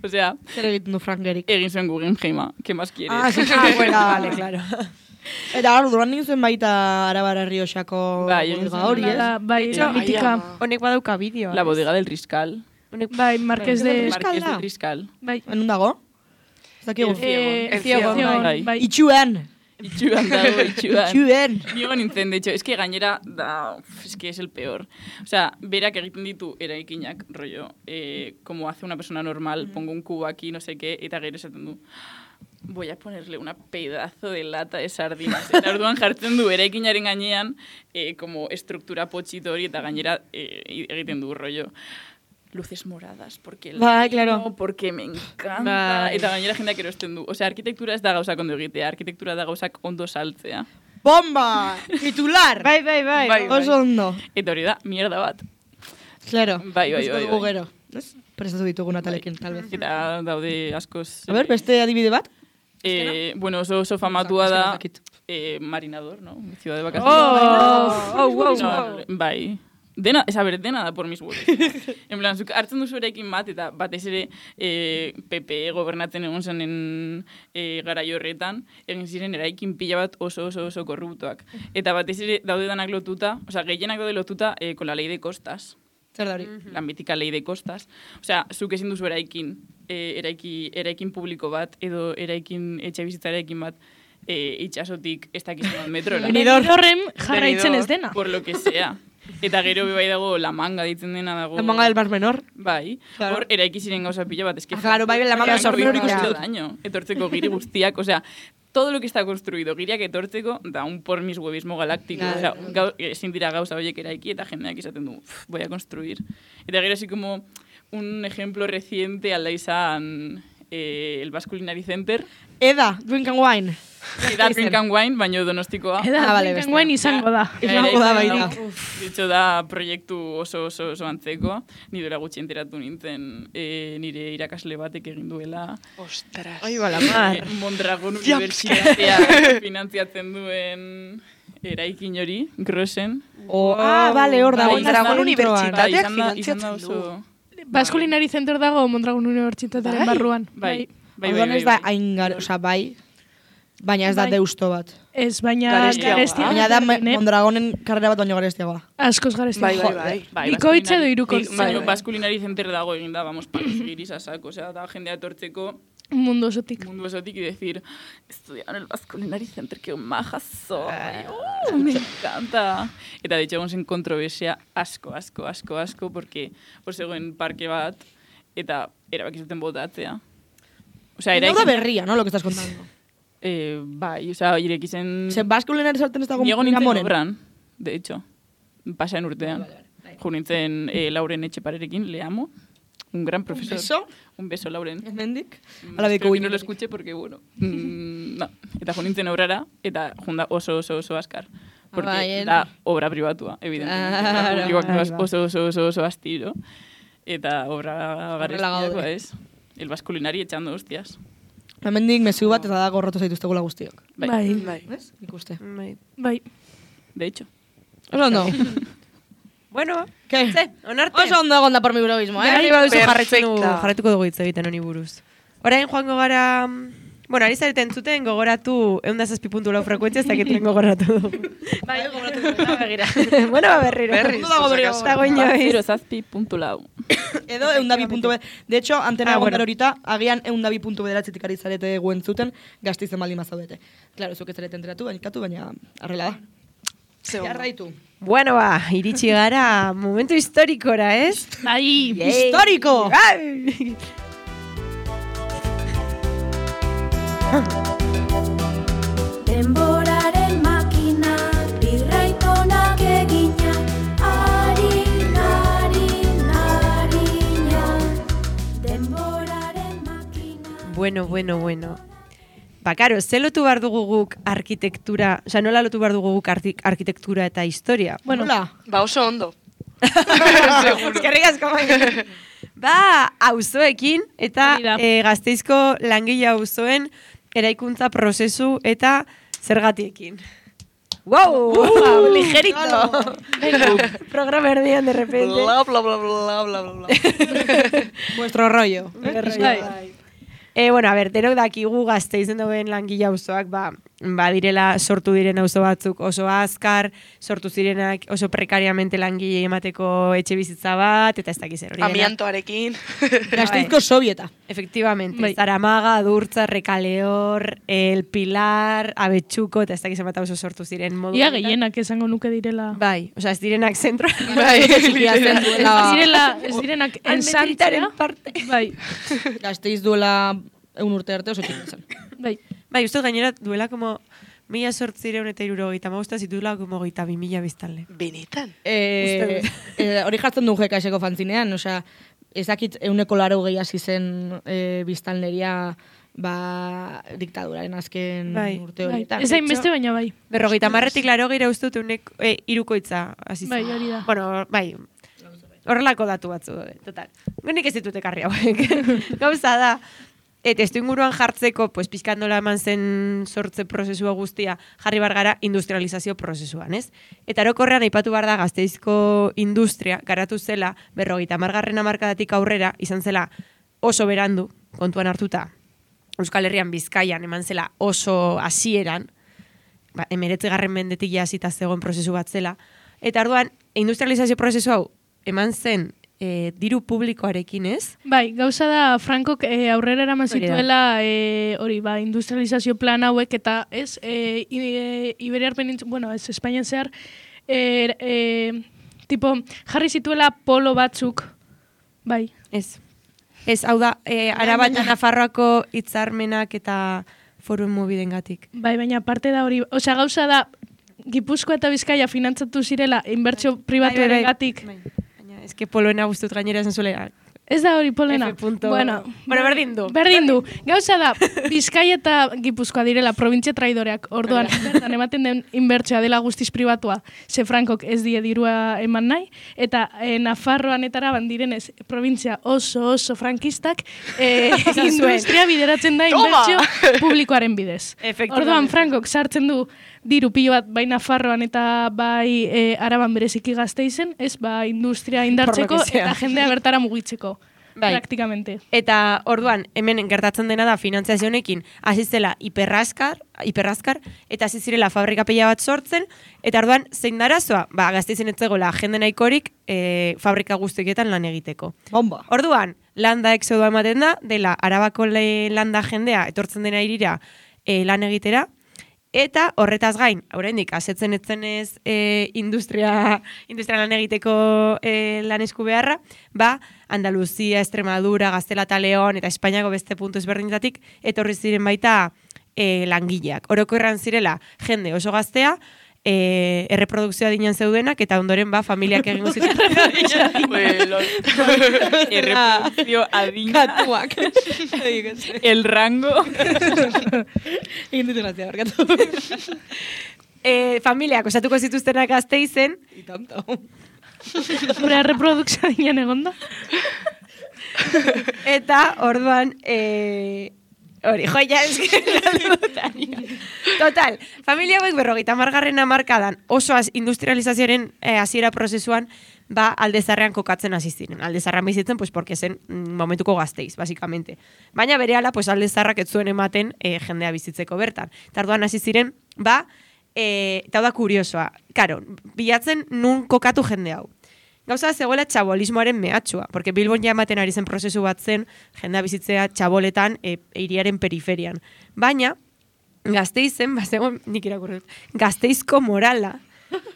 O sea, Zer egiten du Frank Gehryk. egin zuen Guggenheima, ¿qué más quieres? Ah, sí, Ah, bueno, vale, claro. Eta gaur, duran nintzen zuen baita Arabara Rioxako Bai, egin bodega zuen hori, ez? Bai, bai, Ai, mitika. ama. Honek badauka bideoa. La bodega del Riscal. Honek, Bai, Marqués de... Riscal Marqués da? del Riscal. Bai. Enun dago? Ez dakigu. El Ziegon. Eh, El Ziegon, Ziegon, bai. bai. Itxuan! Itxuan dago, itxuan. Itxuan! Nigo nintzen, de hecho, es que gainera, da, uf, es que es el peor. O sea, berak egiten ditu eraikinak, rollo, eh, como hace una persona normal, pongo un cubo aquí, no sé qué, eta gero esaten du, voy a ponerle una pedazo de lata de sardinas. Eta orduan jartzen du eraikinaren gainean, eh, como estruktura potxito hori, eta gainera eh, egiten du, rollo, luces moradas, porque el Bai, vino, claro. porque me encanta. Bai. Eta gainera jendeak erosten du. Osea, arkitektura ez da gauzak ondo egitea, arkitektura da gauzak ondo saltzea. Bomba! Titular! Bai, bai, bai. Bai, bai. Oso ondo. Eta hori da, mierda bat. Claro. Bai, bai, Ikusiko bai, dugu bai. gero. Ez? Prestatu ditugu natalekin, tal vez. Eta daude askoz... A ber, beste adibide bat? Eh, bueno, oso, oso famatua Es que no da dakit. eh, Marinador, ¿no? Ciudad de vacaciones. Oh, oh, wow, No, wow. bai. Dena, ez a ber, dena da por mis huevos. En plan, zuk hartzen duzu eraikin bat, eta batez ere eh, P P E gobernatzen egon zenen eh, garai horretan, egin ziren eraikin pila bat oso oso oso korruptoak. Eta batez ere daude danak lotuta, osea, gehienak daude lotuta eh, con la ley de costas. Zer da hori? La mítica ley de costas. Osea, zuk ezin duzu eraikin, eh, eraiki, eraikin publiko bat, edo eraikin etxe bizitza eraikin bat, eh, itxasotik ez dakizun metrora. Benidorren jarraitzen ez dena. Por lo que sea. Eta gero bai dago La Manga ditzen dena dago. La manga del Mar Menor. Bai. Claro. Hor eraiki ziren gauza pila bat, eske. Ah, claro, bai, La Manga del Mar Menor ikusi dut. daño. Etortzeko giri guztiak, osea, todo lo que está construido giriak etortzeko da un por mis huevismo galáctico. Claro. Osea, gau, ezin dira gauza horiek eraiki eta jendeak izaten du, "Uf, voy a construir." Eta gero así como un ejemplo reciente alda izan eh, el Basque Culinary Center. Eda, Drink and Wine. Eta Drink and Wine, baino donostikoa. Eda, Ah, vale, Drink and bestea. Wine izango da. Izango da baita. Ditxo da proiektu oso oso oso antzekoa. Ni dela gutxi enteratu nintzen e, nire irakasle batek egin duela. Ostras. Ai, bala, mar. E, Mondragon Unibertsitatea finantziatzen duen eraikin hori, Grossen. O, ah, vale, hor dago. Bai, Mondragon izan da- introan. Tateak izan da- izan da finantziatzen oso... Baskulinari Center dago Mondragon Unibertsitatearen Bai. barruan. Bai, bai, bai, Orduan bai, ez da bai. hain gar, oza, bai, baina ez da Bai. deusto bat. Ez, baina Garestiagoa. garestia. Baina da ne? Mondragonen karrera bat baino garestiagoa. Askoz garestia. Bai, bai, bai. Bai, Bikoitza edo Baskulinari- hirukoitza. Baina Bai. Baskulinari Center dago eginda, vamos, palos giris a saco, osea, da jendea etortzeko Mundu osotik. mundu osotik y decir, estudiar en el Basque Culinary Center, que maja soy, uh, me encanta. Eta de hecho egon zen kontroversia asko, asko, asko, asko, porque hor zegoen parke bat, eta erabaki zuten botatzea. Osea, Era era... da berria, ¿no? Lo que estás contando. Eh, bai, osea, ireki zen... Se baskulinari sartzen ez dago Niego nintzen Gamonen. obran, de hecho. Pasaen urtean. Jo nintzen eh, Lauren Etxeparerekin, le amo. Un gran profesor. beso? Un beso, Lauren. Hemendik? Mm, Ala espero beko que no lo escuche porque, bueno, mm, no. Eta jo nintzen obrara, eta junda oso oso oso askar. Porque Bai, el- da obra pribatua, evidentemente. Claro. Obra publikoak Ahí oso va. oso oso oso, oso astiro. Eta obra garestiakoa gaude. ez. El baskulinari echando hostias. Hemendik mezu bat eta da gorrotu zaituztegula guztiok. Bai. Bai, Bai. Ez? Ikuste. Bai. bai. De hecho. Oso ondo. Bueno, Ke? ze, onarte. Oso ondo egon da por mi burobismo, Ja, eh? nahi baduzu jarraitzen dugu, perfecta. jarraituko dugu hitz egiten honi buruz. Orain joango gara mm, Bueno, ari zareten zuten gogoratu eunda zazpi puntu lau frekuentzia, ez dakituen gogoratu du. Bai, gogoratu dut, begira. Bueno, ba, berriro. Berriz, Ondo dago berriro. por si Dago acaso. inoiz. Zero zazpi puntu lau. Edo eundabi puntu be. De hecho, antena Ah, egon bueno. gara horita, agian eundabi puntu bederatzitik ari zarete guen zuten, gaztizen baldin mazaudete. Claro, zuk ez zarete enteratu, baina ikatu, baina arrela da. Ze ondo. Jarraitu. Bueno, ba, iritsi gara momentu historikora, ez? Ai, Histórico! Ai! Denboraren makina, birraitonak egina, harin, harin, harina. Denboraren makina. Bueno, bueno, bueno. Ba, karo, ze lotu behar dugu guk arkitektura, oza, nola lotu behar dugu guk arti- arkitektura eta historia? bueno, Hola. Ba oso ondo. Eskerrik asko bai. Ba, auzoekin eta Hori da. e, Gasteizko langile auzoen eraikuntza prozesu eta zergatiekin. Wow! wow ligerito! Venga, programa erdian de repente. Bla, bla, bla, bla, bla, bla, bla. Vuestro rollo. bai. E, bueno, a ber, denok dakigu Gasteizen dauen langile auzoak, ba, ba direla sortu diren auzo batzuk oso azkar, sortu zirenak oso prekariamente langile emateko etxe bizitza bat, eta ez dakiz zer hori. dena. Amiantoarekin. Gasteizko sovieta. Efectivamente, Bai. Zaramaga, Durtza, Rekaleor, El Pilar, Abetxuko, eta ez dakiz emata oso sortu ziren modu. Ia honetan. gehienak esango nuke direla. Bai, osea, ez direnak zentro. Bai, Txikia zen Ez duela, direla, ez direnak Almendritaren ensantzea. parte. Bai, Gasteiz duela eun urte arte oso txikia zen. bai. Bai, uste gainera duela como mila sortzireun eta irurogeita magusta zituela como geita bi mila biztanle. Benetan. Eh, eh, hori jartzen du jekaseko fantzinean, osea, ezakit euneko laro gehi hasi zen eh, biztanleria ba, diktaduraren azken Bai, urte bai. horietan. Ez hainbeste, baina bai. Berrogeita marretik laro gira uste dut unek e, irukoitza hasi zen. Bai, hori da. Bueno, bai, horrelako datu batzu daude, total. Nik ez ditut ekarri hauek. Gauza da, eta testu inguruan jartzeko, pues, pizkandola eman zen sortze prozesua guztia, jarri bar gara industrializazio prozesuan, ez? Eta orokorrean aipatu behar da Gasteizko industria garatu zela, berrogeita margarren hamarkadatik aurrera, izan zela oso berandu, kontuan hartuta, Euskal Herrian Bizkaian eman zela oso hasieran, ba, emeretzigarren mendetik ja hasita zegoen prozesu bat zela, eta orduan, industrializazio prozesu hau eman zen e, diru publikoarekin, ez? Bai, gauza da Frankok e, aurrera eraman Hori da. zituela e, hori, ba, industrializazio plan hauek eta ez, e, e, Iberiar penintz, bueno, ez, Espainian zehar, e, e, tipo, jarri zituela polo batzuk, bai, Ez. Ez, hau da, e, Araba eta Nafarroako hitzarmenak eta foru mobidengatik. bai, baina parte da hori, osea, gauza da, Gipuzkoa eta Bizkaia finantzatu zirela inbertsio pribatu Bai, bai, bai. eregatik. Bai. Baina, eske poloena guztut gainera esan zuela. Ez da hori polena. F punto- Bueno, Bueno, berdin du. Berdin du. Gauza da, Bizkaia eta Gipuzkoa direla provintzia traidoreak. Orduan, bertan ematen den inbertsioa dela guztiz pribatua. Ze Frankok ez die dirua eman nahi. Eta e, Nafarroan eta Araban direnez, provintzia oso oso frankistak, e, Esan zuen. industria bideratzen da Toma! inbertsio publikoaren bidez. Efectivamente. Orduan, Frankok sartzen du diru pilo bat bai Nafarroan eta bai e, Araban bereziki Gasteizen, ez ba industria indartzeko que sea. eta jendea bertara mugitzeko. Bai. Praktikamente. Eta orduan, hemen gertatzen dena da finanziazio honekin hasi zela hiperrazkar, hiperrazkar eta hasi zirela fabrika pila bat sortzen, eta orduan zein da arazoa? Ba, Gasteizen ez zegoela jende nahikorik e, fabrika guztietan lan egiteko. Bomba. Orduan, landa exodoa ematen da, dela Arabako le, landa jendea etortzen dena irira e, lan egitera, eta horretaz gain, oraindik asetzen etzenez e, industria, industria lan egiteko e, lan esku beharra, ba, Andaluzia, Extremadura, Gaztela eta Leon, eta Espainiako beste puntu ezberdinetatik, etorri ziren baita e, langileak. Orokorrean zirela, jende oso gaztea, e, erreprodukzioa dinan zeudenak, eta ondoren ba, familiak egingo zituen. Bueno, Erreprodukzio adina. Katuak. El rango. Egin dut grazia, barkatu. e, familiak osatuko zituztenak Gasteizen, Y tanto. Gure erreprodukzioa dinan egon da. eta orduan, e, Hori, joia, eske, Total, familia hauek berrogeita hamargarren hamarkadan oso az, industrializazioaren eh, hasiera prozesuan ba Aldezarrean kokatzen hasi ziren. Aldezarrean bizitzen, pues, porque zen mm, momentuko Gasteiz, basicamente. Baina berehala, pues, Aldezarrak ez zuen ematen eh, jendea bizitzeko bertan. Tarduan hasi ziren, ba, eh, eta da kuriosoa. Karo, bilatzen nun kokatu jende hau. Gauza zegoela txabolismoaren mehatxua, porque Bilbon ja ematen ari zen prozesu bat zen, jendea bizitzea txaboletan e, hiriaren periferian. Baina, Gasteizen, bazegoen, nik irakurri dut, Gasteizko morala,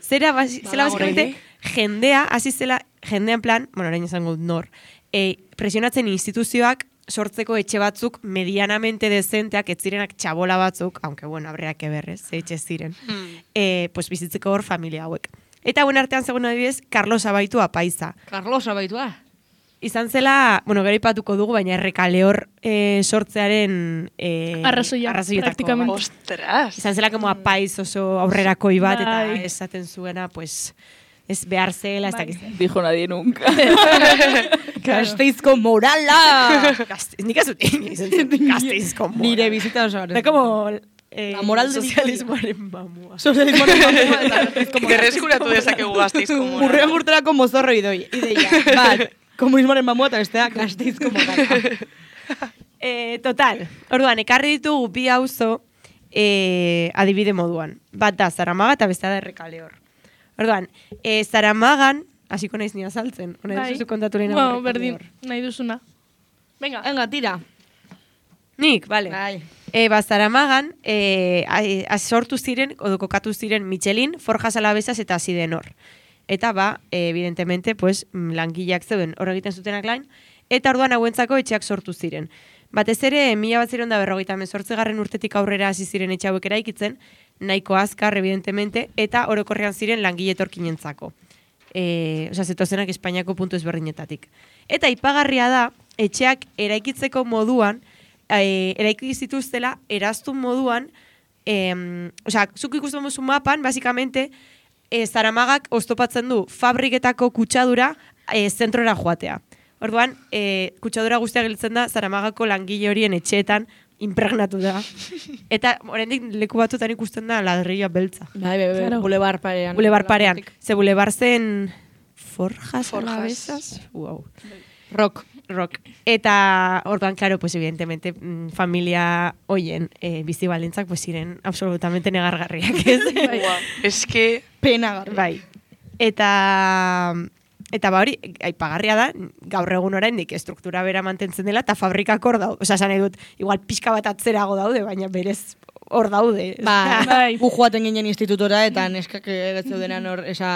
zera, basi, zela basikamente, jendea, hasi zela, jendean plan, bueno, orain izango dut nor, e, presionatzen instituzioak sortzeko etxe batzuk medianamente dezenteak, ez zirenak txabola batzuk, aunque bueno, abreak eberrez, ze etxe ziren, mm. e, pues bizitzeko hor familia hauek. Eta buen artean zegoen adibidez, Carlos Abaitu apaiza. Carlos Abaitua. Izan zela, bueno, gero ipatuko dugu, baina Errekaleor eh, sortzearen eh, Arrazoia, praktikamente. Ostras! Izan zela como apaiz oso aurrerakoi bat, eta Bai. esaten zuena, pues, ez behar zela, ez Bai. dakiz. Dijo nadie nunca. Gasteizko morala! Gazte, nik ez dut izan zen, Gasteizko moral. Nire bizita oso Da como... Eh, La moral de sozialismoaren mamua. Sozialismoaren mamua eta Gasteizko morala. Gerreskuratu dezakegu Gasteizko morala. Urrean urterako mozorro idoi, ideia. Bat, komunismoaren mamua eta bestea Gasteizko morala. Eh, total, orduan, ekarri ditugu bi auzo eh, adibide moduan. Bat da Zaramaga eta bestea da Errekaleor. Orduan, eh, Zaramagan, hasiko naiz ni azaltzen, hona Bai. duzu kontatu lehena Bueno, Errekaleor. berdin, nahi duzuna. Venga. Venga, tira. Nik, bale. Bai. E, ba, Zaramagan, e, a, sortu ziren, odo kokatu ziren Michelin, Forjas Alavesas eta Sidenor. Eta ba, e, evidentemente, pues, langileak zeuden hor egiten zutenak lain, eta orduan hauentzako etxeak sortu ziren. Batez ere, mila bat ziren da berrogeita hemezortzigarren urtetik aurrera hasi ziren etxe hauek eraikitzen, nahiko azkar, evidentemente, eta orokorrean ziren langile etorkinentzako. E, Osa, zetozenak Espainiako puntu ezberdinetatik. Eta ipagarria da, etxeak eraikitzeko moduan, E, eraiki zituztela eraztun moduan, e, osea, zuk ikusten duzu mapan, basicamente, e, Zaramagak oztopatzen du fabriketako kutsadura e, zentrora joatea. Orduan, e, kutsadura guztia gelditzen da Zaramagako langile horien etxeetan impregnatu da. Eta oraindik leku batzuetan ikusten da ladrilloa beltza. Bai, bai, bai, Claro. bulebar parean. Bulebar parean. Ze bulebar zen Forjas, Forjas. Alavesas? Wow. Rock. Rock. Eta orduan, claro, pues evidentemente mm, familia hoien eh, bizi baldintzak pues ziren absolutamente negargarriak, ez? Es que... Pena garri. Bai. Eta eta ba hori aipagarria da gaur egun oraindik estruktura bera mantentzen dela eta fabrikak hor daude. Osea, esan nahi dut, igual pixka bat atzerago daude, baina berez hor daude. Ba, Bai. gu joaten ginen institutora eta neskak egetzeudenan hor, esa,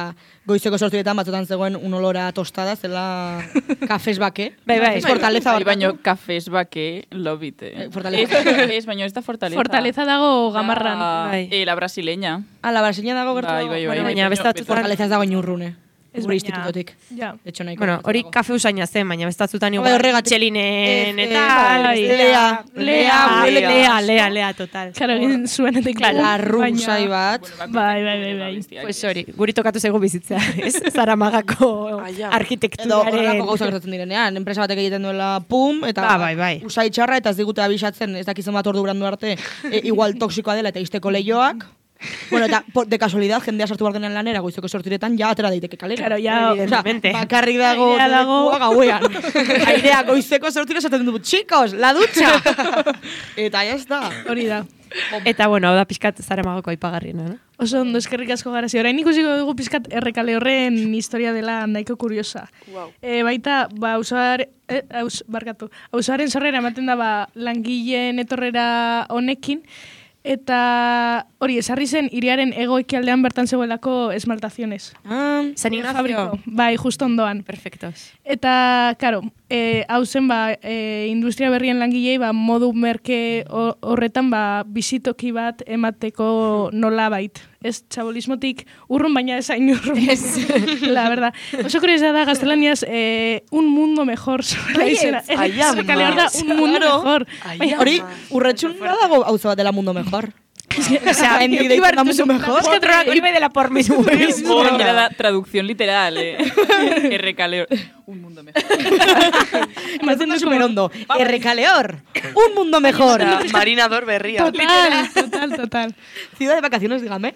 goizeko sortzietan batzutan zegoen un olora tostada, zela kafes bake. Bai, bai. Ez fortaleza Bai, barkatu. baino kafes bake lobite. Eh, Fortaleza. Ez, baino ez da fortaleza. Fortaleza dago gamarran. Da, Bai. eh, la brasileña. Ah, la brasileña dago gertu Bai, dago. bai, bai. Bueno, bai, baina baino beste batzutan- Fortaleza ez dago inurrune. Ez Gure baina- institutotik. Ja. Etxo nahiko. Bueno, hori gertu dago. kafe usaina zen, baina bestatzutan Bai, igual horregatik. Michelinen Ez, eta eh, bai, Lea, Lea, Lea, Lea. Lea, Lea, Lea, total. Claro, egin zuenetik. Claro, arru baina- usai bat. Bai, bai, bai, bai. Pues hori, guri tokatu zaigu bizitzea, ez? Zaramagako Ai, ja. Edo arkitekturaren... horrelako gauzak gertatzen direnean, enpresa batek egiten duela pum, eta Ba, bai, bai. usai txarra eta ez digute abisatzen, ez dakizan bat ordu brandu arte, e, igual toksikoa dela eta izteko lehioak. Bueno, eta por, de casualidad, jendea sartu behar denean lanera, goizeko sortiretan, ja atera daiteke kalera. Claro, ja, Evidentemente. Osea, bakarrik dago, Airea dago. lekua gauean. Airea goizeko sortira esaten du, chicos, la ducha! Eta ya está. hori da. Eta, bueno, hau da pixkat Zaramagako aipagarriena, no? Oso ondo eskerrik asko garazi. Orain ikusiko dugu pizkat Errekale horren historia dela nahiko kuriosa. Wow. E, baita, ba, auzoar, eh, aus, barkatu, auzoaren sorrera ematen da ba, langileen etorrera honekin, eta hori, esarri zen hiriaren hego-ekialdean bertan zegoelako esmaltaziones. Ah, San Ignacio. Fabriko, bai, justo ondoan. Perfectos. Eta, karo, e, hau zen, ba, e, industria berrien langilei, ba, modu merke ho- horretan, ba, bizitoki bat emateko nolabait. Ez txabolismotik urrun, baina ez hain urrun. La verdad. Oso kuriosa da, gaztelaniaz, e, un mundo mejor. Ai, ama. Errekaleor da, un mundo Claro. mejor. Ai, Baina, hori, urretxun dago auzo bat dela mundo mejor. O sea, en directo da mucho mejor. Es que otro golpe de la por mismo. Oh, era la traducción literal, eh. R. Caleor. Un mundo mejor. Me haciendo súper hondo. R. Caleor. Un mundo mejor. Osea, marinador berria. Total, total, total. Ciudad de vacaciones, dígame.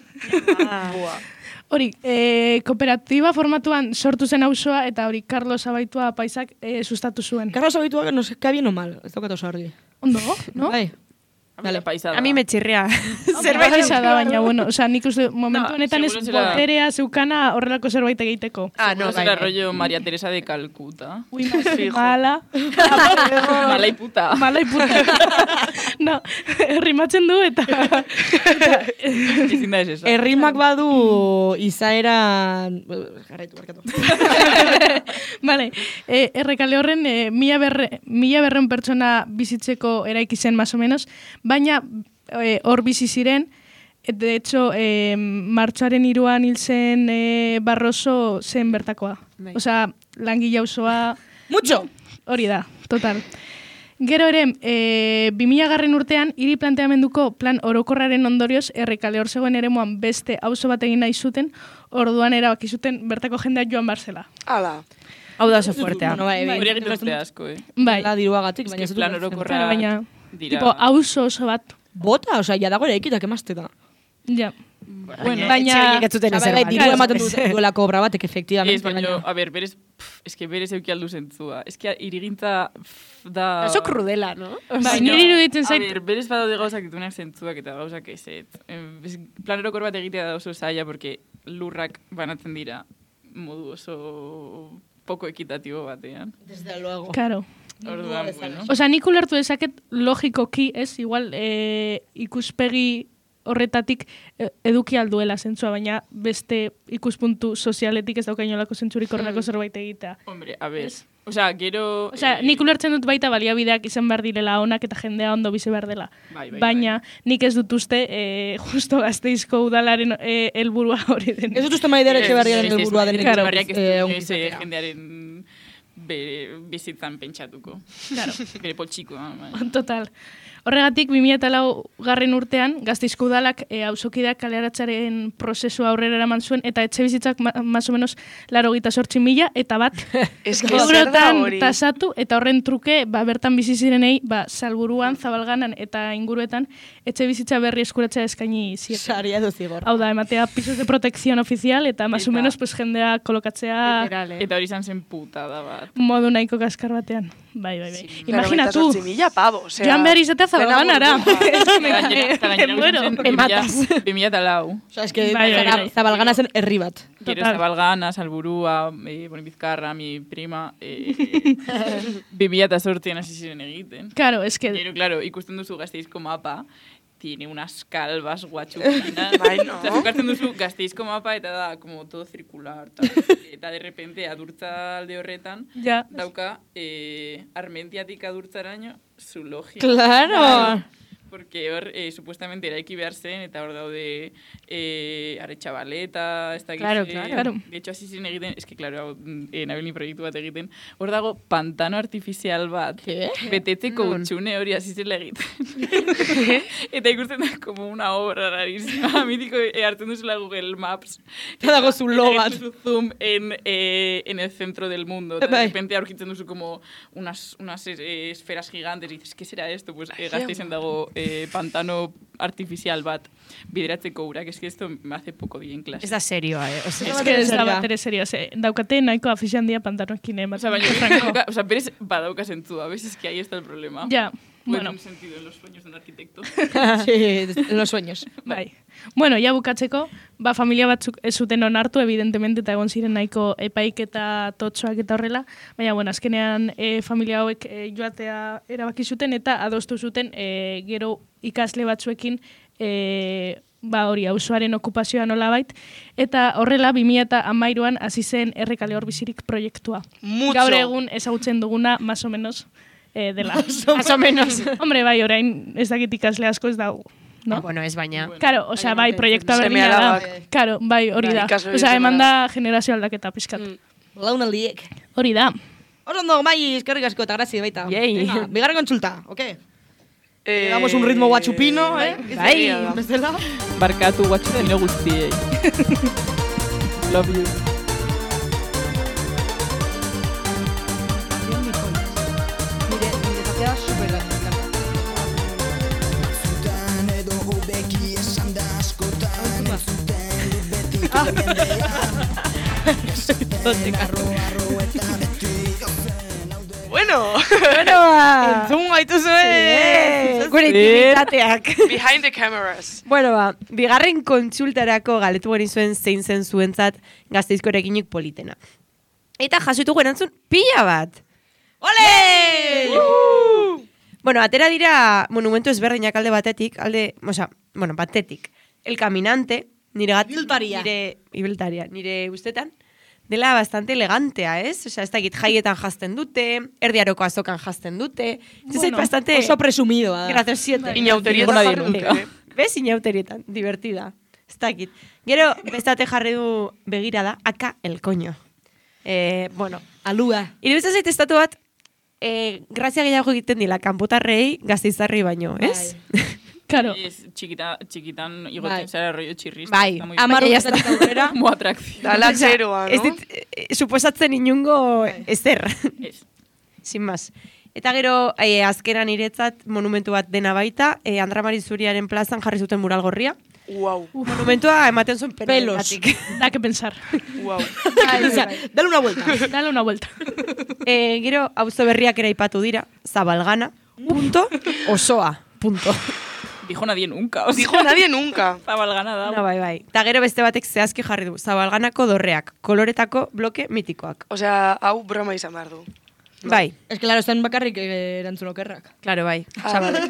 Hori, e, kooperatiba formatuan sortu zen auzoa eta hori Carlos Abaitua paisak e, sustatu zuen. Carlos Abaitua, no sé, ¿qué bien o mal? Ez daukat oso argi. Ondo, no? Bai. Dale, paisada. A mí me chirria. Zerbait esa da, baina, bueno, osea, nik uste momentu No, honetan ez seguro zela- boterea zeukana horrelako zerbait egiteko. Ah, No, no, será bai. rollo María Teresa de Calcuta. Ui, Fijo. mala. Mala y puta. Mala iputa. No, rimatzen du eta... Ezin da ez esa. Errimak badu izaera... Jarraitu, barkatu. Vale, e, errekale horren e, mila, berre, mila berreun pertsona bizitzeko eraiki zen, más o menos, baina e, hor bizi ziren, et, de hecho, e, martxoaren iruan hil zen e, Barroso zen bertakoa. Bai. Osea, langile auzoa... Mucho! Hori da, total. Gero ere, e, bi mila garren urtean, hiri planteamenduko plan orokorraren ondorioz, errekale hor zegoen eremuan beste auzo bat egin nahi zuten, orduan erabaki zuten bertako jendea joan barzela. Ala. Hau da oso fuertea. Bueno, bai, bai. Hori egiten dute asko, eh. Bai, La diruagatik, baina Ez ez que plan dut- orokorra claro, baina, dira. tipo, auzo oso bat. Bota, osea, ya dago ere ekitak emazte da. Ja. Bueno, Baina- etxe horiek ez zuten Bai, ezer bai, bat. diru ematen dute duelako obra batek, Ez, efectivamente. baina, gainera. a ber, berez, pff, es que berez euki aldu zentzua. Es que irigintza pff, da... Oso krudela, no? Bai, niri iruditzen A zait, ber, berez badaude gauzak dituenak zentzuak eta gauzak eset. Plan orokor bat egitea da oso zaila, porque lurrak banatzen dira modu oso poco ekitatibo batean. Desde luego. claro. Orduan, bueno. Osea, nik ulertu dezaket logikoki, ez, igual e, ikuspegi horretatik e, eduki alduela zentzua, baina beste ikuspuntu sozialetik ez daukainolako zentzurik horrelako zerbait egitea. Hombre, a ver. Osea, gero... Osea, eh, nik ulertzen dut baita baliabideak izan behar direla onak eta jendea ondo bizi behar dela. Bai, bai, Baina nik ez dut uste e, justo Gasteizko udalaren e, helburua hori den. Ez dut uste maidera etxe ez, berriaren ez, ez, helburua ez, denik. ez, berriak ez eh, du ongi inoiz, eh, izatea. jendearen bere bizitzan pentsatuko. Claro. Bere poltsikoa. bai. Total. Horregatik, bi mila lau garren urtean, Gasteizko udalak e, auzokideak kaleratzaren prozesua aurrera eraman zuen, eta etxe bizitzak ma, más o menos laro gita sortzi mila, eta bat Ez que zer da eurotan hori. tasatu, eta horren truke, ba, bertan bizi zirenei, ba, Salburuan, Zabalganan eta inguruetan, etxe bizitza berri eskuratzea eskaini zieten. Saria edo zigor. Hau da, ematea pisos de protección oficial, eta más o Eta- menos pues, jendea kolokatzea Literal, eh? Eta hori izan zen putada bat. modu nahiko kaskar batean. Bai, bai, bai. Laurogeita Imaginatu, zortzi mila pavo, osea... joan behar izatea Zabalganara. Gainera- eta gainera Bueno, izan zen ematas. bi mila eta lau. Osea, es que Bai, bai, bai. Zabalgana zen herri bat. Gero Total. Zabalgana, Salburua, eh, bueno, Bizkarra, mi prima, eh, bi mila eta zortzian hasi ziren egiten. Claro, es que... Pero claro, ikusten duzu Gasteizko mapa, tiene unas calvas guachukinas. Bai, no? Eta zukartzen duzu Gasteizko mapa eta da como todo circular. Ta. Eta de repente adurtza alde horretan, Ja. dauka eh, Armentiatik adurtzaraino zu logia. Claro. Porque hor, eh, supuestamente eraiki behar zen, eta hor daude eh, Aretxabaleta, ez da Claro, claro. De hecho, hasi ziren egiten, es que, claro, hau, eh, nabilni proiektu bat egiten, hor dago pantano artifizial bat, betetzeko Non? utxune hori hasi zela egiten. Eta ikusten da, como una obra rarísima. Mitiko eh, hartzen duzula Google Maps. Eta dago zulo eta bat. egiten duzu zoom en, eh, en el centro del mundo. Eta Bai. de repente aurkitzen duzu como unas, unas eh, esferas gigantes, y dices, ¿qué será esto? Pues eh, Gasteizen dago eh, pantano artificial bat bideratzeko urak. Es que esto me hace poco bien clase. Ez da serioa, eh? Osea, Es que ez da Seria. bat ere serio, ze, daukate nahiko afizian dia pantanoekin O sea, ematen. baina, Franco. badauka- o sea, berez badauka zentzua. ¿Ves? Es que ahí está el problema. Ja, Puede bueno, un sentido en los sueños de un arquitecto. Sí, en los sueños. bai. Bueno, ja bukatzeko, ba, familia batzuk ez zuten onartu, evidentemente, eta egon ziren nahiko epaik eta totxoak eta horrela, baina, bueno, azkenean e, familia hauek e, joatea erabaki zuten, eta adostu zuten e, gero ikasle batzuekin e, ba hori, auzoaren okupazioa nolabait, eta horrela, bi mila hamairuan hasi zen Errekale hor bizirik proiektua. Mucho. Gaur egun ezagutzen duguna, más o menos, eh, dela. Más o menos. Hombre, bai, orain ez dakit ikasle asko ez dago. No? Ah, bueno, ez baina. Claro, osea, bai, proiektua Seme berdina da. alabak. Claro, bai, hori Bai, da. ikasle Osea, seme eman da generazio aldaketa pizkat. Mm. Launaldiek. Hori da. Oso ondo, bai, eskerrik asko eta grazi baita. Yay. Venga, bigarren kontsulta, oke? Eh, Damos un ritmo guachupino, eh? Bai. Bezala. Barkatu guatxupino guztiei. Love you. Nire, nire zatea super da. Bueno, Bueno, ba. Entzun gaitu Eh, zuen! Gure intimitateak. behind the cameras. Bueno, ba, bigarren kontsultarako galetu genizuen zein zen zuentzat Gasteizko eraikinik politena. Eta jasutu erantzun pila bat. Ole! Bueno, atera dira monumentu ezberdinak alde batetik, alde, osea, bueno, batetik. El Caminante, nire gat... Ibiltaria. Nire, ibiltaria, nire ustetan, dela bastante elegantea, ez? Osea, ez dakit jaietan jazten dute, erdiaroko azokan jazten dute. Ez Bueno, bastante... Oso presumidoa da. Graziosiete. Inauterietan Nadie jarri nunca. dute. Bez inauterietan, divertida. Ez dakit. Gero, bestate jarri du begirada, aka el coño. Eh, bueno, Alua. iruditzen zait estatu bat, eh, grazia gehiago egiten dila, kanpotarrei gazteizarrei baino, ez? Claro. Es chiquita, chiquitan Bai. igotzen zara rollo txirrista. Bai. está muy Amar Baina urtetik aurrera. Como atracción. Dala Osea, txeroa, Ez no? dit, eh, suposatzen inungo ezer. Es. Sin más. Eta gero, eh, azkenan iretzat monumentu bat dena baita, eh, Andra Mari Zuriaren plazan jarri zuten mural gorria. Wow, Monumentua ematen zuen Pelos. penalgatik. Da que pensar. wow. O sea, dale una vuelta. Dale una vuelta. eh, gero, auzo berriak ere aipatu dira, Zabalgana, punto, osoa, punto. Dijo nadie nunca. O sea, Dijo nadie nunca. Zabalgana da. Na, bai, bai. Ta gero beste batek zehazki jarri du, Zabalganako dorreak, koloretako bloke mitikoak. Osea, hau broma izan behar du. Bai, Es que, claro, zen bakarrik eh, erantzun okerrak. claro, bai. Ah, vale.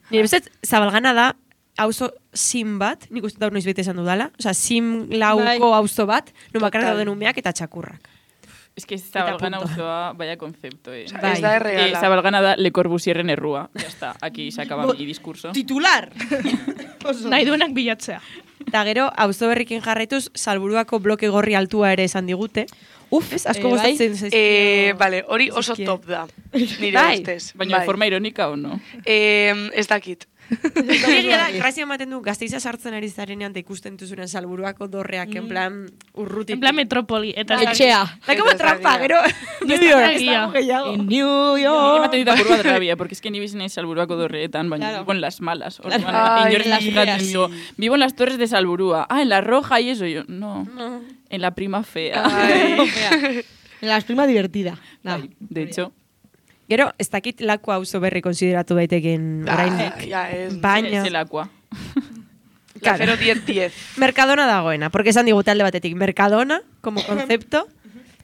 Nire bezet, Zabalgana da, auzo sim bat, nik uste daur noiz bete esan dudala, osea, sim lauko Bai. auzo bat, nun bakarrik Total. dauden umeak eta txakurrak. Es que Zabalgana punto. auzoa, vaya concepto, eh. Bai. Ez da Eh, erregala. Zabalgana da Le Corbusierren errua. Ya está, aquí se acaba mi discurso. Titular! Oso. Nahi duenak bilatzea. Eta gero, auzo berrikin jarraituz, Salburuako bloke gorri altua ere esan digute. Uf, ez, asko eh, bai. gozatzen zaizkio. Eh, vale, hori oso zaizkie. top da. Nire Bai. ustez. Baina de forma irónica o no? Eh, ez dakit. Egia da, grazia ematen du, Gasteiza sartzen ari zarenean eta ikusten duzunen Salburuako dorreak, en plan, urrutik. En plan metropoli. Eta Etxea. Da como Eta trampa, zaila. gero... New York. Ez dago gehiago. En New Ni York. ematen dit apur bat rabia, porque es que ni bizi naiz Salburuako dorreetan, baina Claro. vivo en las malas. Claro. Orduan, Ay, inork en las fijatzen feas. digo, vivo en las torres de Salburua. Ah, en la roja y eso. Yo, no, No. en la prima fea. Ai. En las prima divertida. Nah. Ay, de hecho, Gero, ez dakit laku auzo berri konsideratu daiteken oraindik. Ah, ja, ez. Baina, es el aqua. La claro. cero diez diez. Mercadona dagoena, porque esan digute alde batetik Mercadona, como concepto,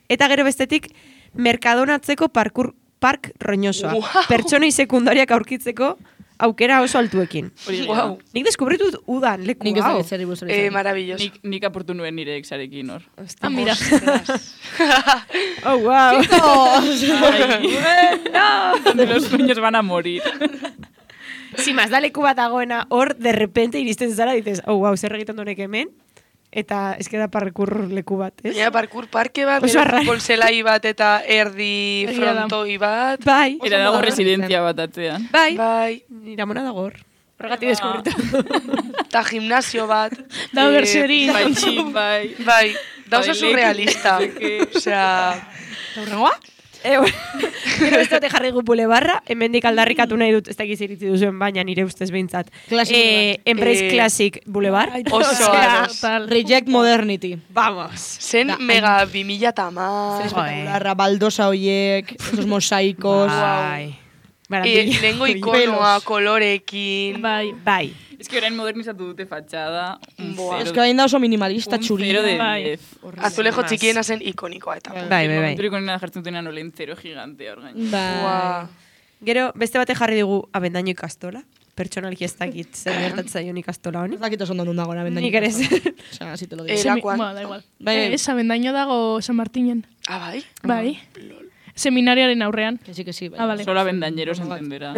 eta gero bestetik Mercadonatzeko parkur, park roñosoa. Wow. Pertsonei sekundariak aurkitzeko aukera oso altuekin. Hori Wow. wow. Nik deskubritu dut udan leku Nik ez hau. dakit zer buruz hori Eh, zen. maravilloso. Nik, nik apurtu nuen nire exarekin hor. Ah, mira. Oh, wow. Ay, donde los sueños van a morir. Si más da leku bat dagoena, hor, de repente iristen zara, dices, oh, wow, zer egiten donek hemen, eta ez da parkur leku bat, ez? Baina parkur parke bat, Oso gero arra. futbol zelai bat eta erdi Egia da. frontoi bat. Bai, Era dago moderno residentzia bat atzean. bai, Bai, nire amona dago hor. Horregatik Ba. deskubritu. eta gimnasio bat. Dago Eh, berserin. Bai, bai. Bai, da oso Bai, surrealista. leku, no sé qué. Osea, Horrengoa? Eh, bueno, gero ez dute jarri gu bulebarra, hemendik aldarrikatu nahi dut, ez dakiz iritzi duzuen, baina nire ustez behintzat. Classic Eh, Embrace Eh, Classic Boulevard. oso Osea, ados. Tal. Reject Modernity. Vamos. zen Da, mega bi mila tamar. Espectacularra, baldosa hoiek, esos mosaicos. Bai. Eh, Maravilla. lehengo ikonoa, Pelos. kolorekin. Bai. Bai. Es que orain modernizatu dute fatxada. Un Buah. cero Es que hain da oso minimalista un txuri. cero de Bai. diez. Azulejo Más. txikiena zen ikonikoa eta. Bai. Bai, bai, bai. Momenturik onena jartzen dutenean olen zero gigante hor gain. Bai. Buah. Gero, beste bate jarri dugu abendaino ikastola. Pertsonalki ez dakit zer gertatzen zaion ikastola honi. Ez dakit oso ondo dago na Nik ere ez. O sea, así te lo digo. Eh, Semi- Erakuan. Bueno, da igual. Bai. Eh, Sabendaino dago San Martinen. Ah, bai? Bai. Seminarioaren aurrean. Que sí, que sí. Bai. Ah, vale. Solo abendañeros entenderá.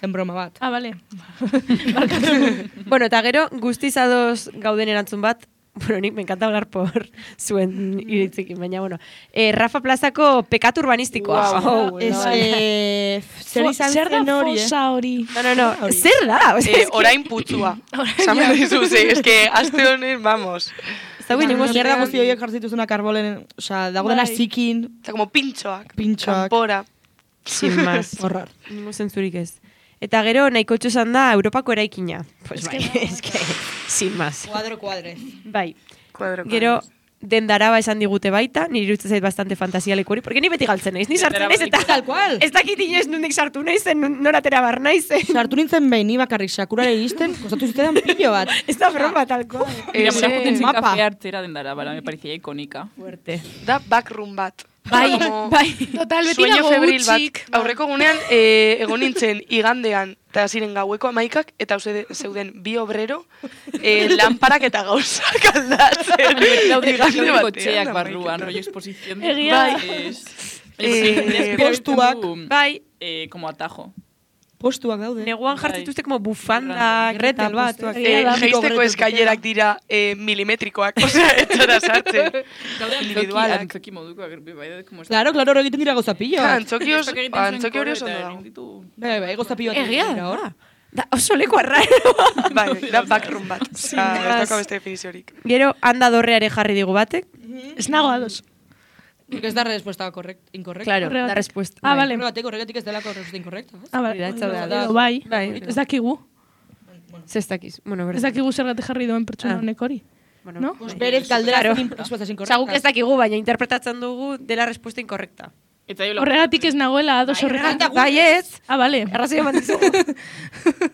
Zen broma bat. Ah, vale. Bueno, eta gero, guztiz ados gauden erantzun bat, bueno, nik me encanta hablar por zuen iritzikin, baina, bueno. Eh, Rafa Plazako pekatu urbanistikoa. Wow. Oh, Ez, no, eh, zer izan Zer da zen hori, eh? fosa hori? no, no, no. Zer da? O sea, Eh, es que- orain putzua. Samen dizu, ze, es que aste honen, vamos. Ez dago inongo Mierda zerda guzti horiek jartzituzunak arbolen, osea, dago dena Bai. zikin, Eta como pintxoak. Pintxoak. Kanpora. Sin más. horrar. Ningu zentzurik ez. Eta gero nahiko txosan da Europako eraikina. Pues bai, es que, sin más. Cuadro cuadrez. Bai. Kuadro, Gero, dendaraba esan digute baita, niri iruditzen zait bastante fantasialeko hori, porque ni beti galtzen naiz, ni sartzen naiz, eta Tal cual. ez dakit inoiz nondik sartu naizen, nun- nora atera bar naizen. Sartu nintzen behin, ni bakarrik sakurara iristen, kostatu zitzaidan pilo bat. Ez da broma, talko. Mira, Ese mira, joten zen mapa. kafe hartzera dendara, bara, me parecía ikonika. Fuerte. Da backroom bat. Bai, Como bai. Total, beti Sueño dago febril bat. utzik. Aurreko gunean, eh, egon nintzen igandean, eta ziren gaueko amaikak, eta uste zeuden bi obrero, eh, lanparak eta gauzak aldatzen. Daude Igande daude batean, kotxeak amaikak. barruan, rollo exposición. Egia da. Eh, postuak. Bai, Eh, como atajo. Postuak daude. neguan jartzen Bai. dituzte como bufandak, Gretel bat, postuak. Egia Eh, da. Geisteko eskailerak dira eh, milimetrikoak, osea, etxora sartzen. Daude Individualak. antzoki modukoak, bai, bai, como Claro, claro, hor egiten dira gauza pilo bat. Antzoki oso, antzoki hori oso ondo dago. dago. Bai, bai, gauza pilo bat. Egia dira hor. da. Da, oso leku arraro. Bai, da backroom bat. Osea, ez más. dauka beste definiziorik. Gero, handa dorreare jarri digu batek. Ez nago ados. Porque ez da respuesta correct, incorrecta. Claro, Horregatik. da respuesta. Ah, bai. vale. Horregatik, horregatik ez delako respuesta incorrecta. ez? Ah, bai. Hori da, ez daude Edo ados. bai. Bai, Ez dakigu. Zestakiz. Bueno, Ez dakigu zergatik jarri duen pertsona Ah. honek hori. Bueno, No? Pues berez galdera Claro. zen respuestas Osa, incorrectas. guk ez dakigu, baina interpretatzen dugu dela respuesta inkorrekta. Eta jo, Horregatik ez nagoela ados horregatik. Bai ez, Ah, bale. arrazoi eman dizugu.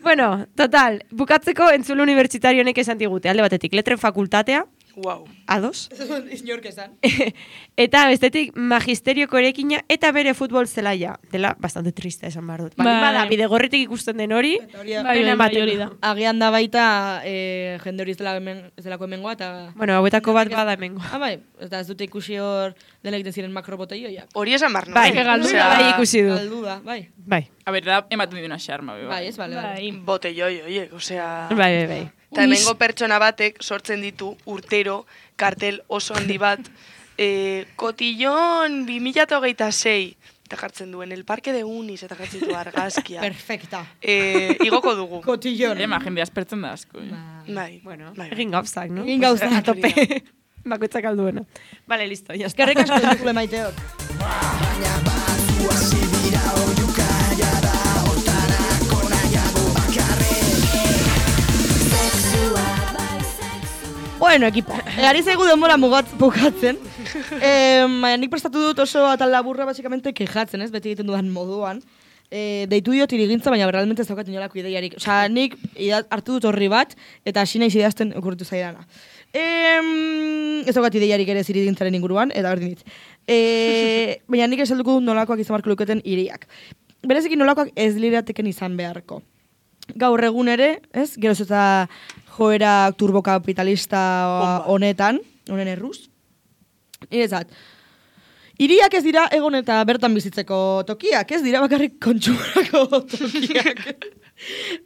Bueno, total, bukatzeko entzule unibertsitario honek esan digute, alde batetik, letren fakultatea, Wow. ados, Ez dut inork esan. eta bestetik magisterioko erekina eta bere futbol zelaia. Dela bastante triste esan behar dut. Baldin Bai. bada, bidegorritik ikusten den hori, Hori da. Bai, pena bai, bai, ematen hori du. da. Agian da baita eh, jende hori ez dela hemen, ez delako hemengoa, eta... bueno, hauetako bat bada hemengo. Ah, bai, eta ez dute ikusi hor dela egiten ziren makroboteioiak. Hori esan barno. Bai, Bai, galdu Osea, da. bai ikusi du. Galdu da, bai. Bai, A ber, da, ematen dira xarma, be, Bai, ez, bale, bale. Bai. Botelloi, oiek, osea... bai, bai, bai. Eta hemengo pertsona batek sortzen ditu urtero kartel oso handi bat eh, kotillon bi mila hogeita sei eta jartzen duen el parque de Unis eta jartzen du argazkia. Perfecta. eh, igoko dugu. Kotillon. Ema, jende aspertzen da asko. eh. Bai, Bueno, bai, bai. egin gauzak, no? Egin gauzak. A tope. Bakoitzak alduena. Vale, listo, ya está. Eskerrik asko entzule maiteok. Bueno, ekipo, egari zaigu denbora mugat bukatzen. Eh, baina nik prestatu dut oso atal laburra, basikamente, kejatzen, ez? Beti egiten dudan moduan. Eh, deitu diot irigintza, baina realmente ez daukat inolako ideiarik. Osea, nik ida- hartu dut horri bat, eta hasi naiz idazten okurritu zaidana. Eh, ez daukat ideiarik ere irigintzaren inguruan, eta berdin dit. Eh, baina nik esalduko dut nolakoak izan barko luketen iriak. Berezekin nolakoak ez lirateken izan beharko. Gaur egun ere, ez? Geroz eta joera turbokapitalista honetan, honen erruz. Irezat, hiriak ez dira egon eta bertan bizitzeko tokiak, ez dira bakarrik kontsumorako tokiak.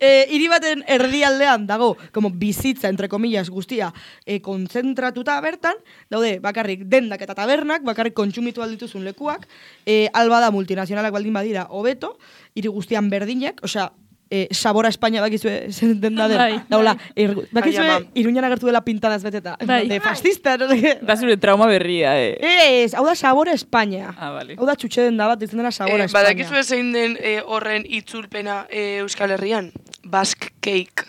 E, hiri baten erdialdean dago, como bizitza, entre comillas, guztia, e, kontzentratuta bertan, daude bakarrik dendak eta tabernak, bakarrik kontsumitu aldituzun lekuak, e, alba da multinazionalak baldin badira hobeto, hiri guztian berdinak, osea, e, Sabora Espainia bakizue zen den da den, Bai, bai. daula, er, bakizue Bai, ama. Iruñan agertu dela pintadas beteta, Bai. de fascista, no sé qué. Da zure trauma berria, eh. Ez, hau da Sabora Espainia. Ah, vale. Hau da txutxe den da bat, ditzen dena Sabora Eh, Espainia. badakizue zein den eh, horren itzulpena eh, Euskal Herrian? Basque cake.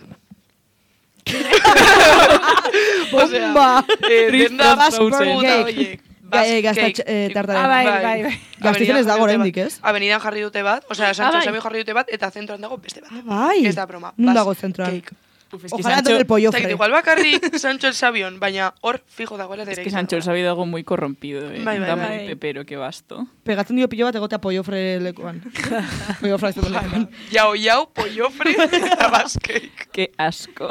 Bomba! Eh, Triste denda Basque puta cake. horiek. Ga- eh, Basque gaztatx- cake. eh, tartaren. Ah, bai, bai, bai. Gaztizen ez dago Avenidan jarri oraindik, dute ez? bat. Avenidan jarri dute bat, osea, Ah, Sancho bai. Sabio jarri dute bat, eta zentroan dago beste bat. Ah, bai. Ez da broma. Nun Basque dago zentroan? cake. Uf, es que Ojalá Sancho, donde el pollo Zait, fre. igual bakarrik Sancho el Sabion, baina hor fijo dagoela es dere. que Sancho el sabido algo muy corrompido, eh. Bai, bai, Dame bai. el pepero, que basto. Pegatzen dio pilo bat egotea pollofre lekuan. Pollofre ez dut lekuan. Yao, yao, pollofre eta Basque cake. Qué asco.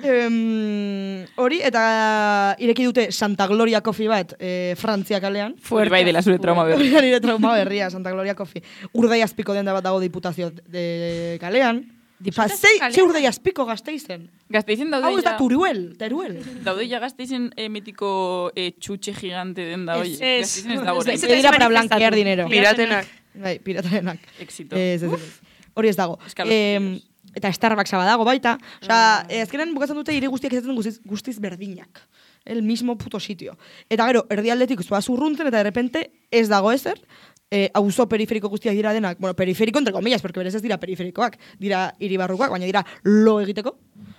Em, Hori, eta ireki dute Santa Gloria Coffee bat, eh, Frantzia kalean. Hori bai dela zure trauma Hori berria. da nire trauma berria, Santa Gloria Coffee. Urdai azpiko denda bat dago diputazio de kalean. Osa, zei, ze urdei azpiko Gasteizen. Gasteizen daude Hau ez da ja... Turuel, Teruel. Daude ja Gasteizen eh, mitiko eh, txutxe gigante den da, oie. Ez. Gasteizen ez dago Ez, orain. ez, Ze dira para blanquear dinero. Piratenak. Bai, piratarenak. Éxito. Ez, ez, ez. Hori ez dago. Eskalofrios. Eh, eta Starbucksa badago baita. Osea, eh, azkenan bukatzen dute hiri guztiak izaten guztiz, guztiz berdinak. El mismo puto sitio. Eta gero, erdialdetik zoa zurruntzen eta de repente ez dago ezer. Eh, auzo periferiko guztiak dira denak, bueno, periferiko entre comillas, porque berez ez dira periferikoak, dira hiribarrukoak, baina dira lo egiteko.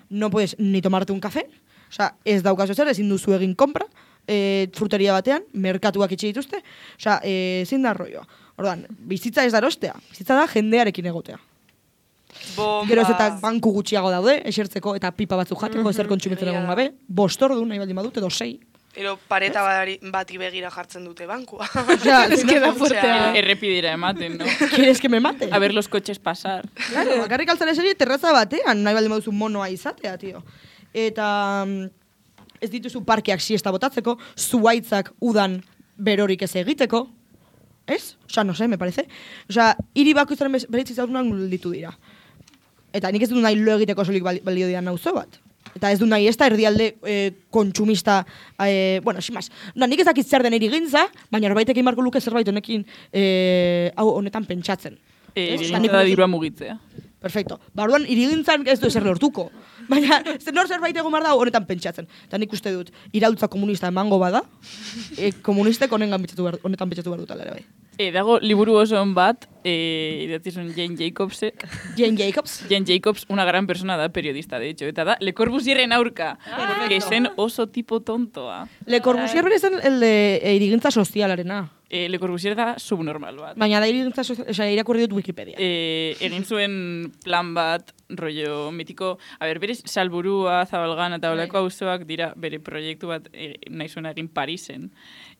No puedes ni tomarte un café. Osea, ez daukazu ezer, ezin duzu egin kompra, eh, fruteria batean, merkatuak itxi dituzte. Osea, eh, ezin da rolloa. Orduan, bizitza ez da erostea, bizitza da jendearekin egotea. Bomba. Gero ez eta banku gutxiago daude, esertzeko eta pipa batzuk jateko, ezer kontsumitzen egon gabe, bost ordu nahi baldin badut, edo sei. Ero pareta bari, bati begira jartzen dute bankua. Osea, Ez que da fuertea. Errepidera ematen, no? ¿Quieres que me mate? A ver los coches pasar. Claro, bakarrik altzara eseri terraza batean, nahi baldin baduzu monoa izatea, tio. Eta mm, ez dituzu parkeak siesta botatzeko, zuaitzak udan berorik ez egiteko, ez? Osea, no sé, me parece. Osea, hiri bakoitzaren bereitzi zaudunak ditu dira. Eta nik ez dut nahi lo egiteko solik bali- balio dian nauzo bat. Eta ez du nahi ez da erdialde eh, kontsumista, eh, bueno, simaz. Da, nik ez dakit zer den irigintza, baina norbaitek egin beharko luke zerbait honekin, eh, hau honetan pentsatzen. Eh, Ez? Egin da dirua mugitzea. Perfecto. Barruan, irigintzan ez du ezer lortuko. Baina, zer nor zerbait egon behar da honetan pentsatzen. Eta nik uste dut, iraultza komunista emango bada, e, komunistek honengan pentsatu behar, honetan pentsatu behar dutela ere bai. E, dago liburu oso on bat, eh, idatzi zuen Jane Jacobsek. Jane Jacobs. Jane Jacobs, una gran persona da, periodista, de hecho. Eta da, Le Corbusierren aurka. que zen oso tipo tontoa. Le Corbusier bere zen el de e, irigintza sozialarena. Eh, Le Corbusier da subnormal bat. Baina da irigintza sozial, osea, irakurri dut Wikipedia. Eh, egin zuen plan bat, rollo mitiko, a ber, bere Salburua, Zabalgana eta olako auzoak dira bere proiektu bat eh, nahi zuen egin Parisen.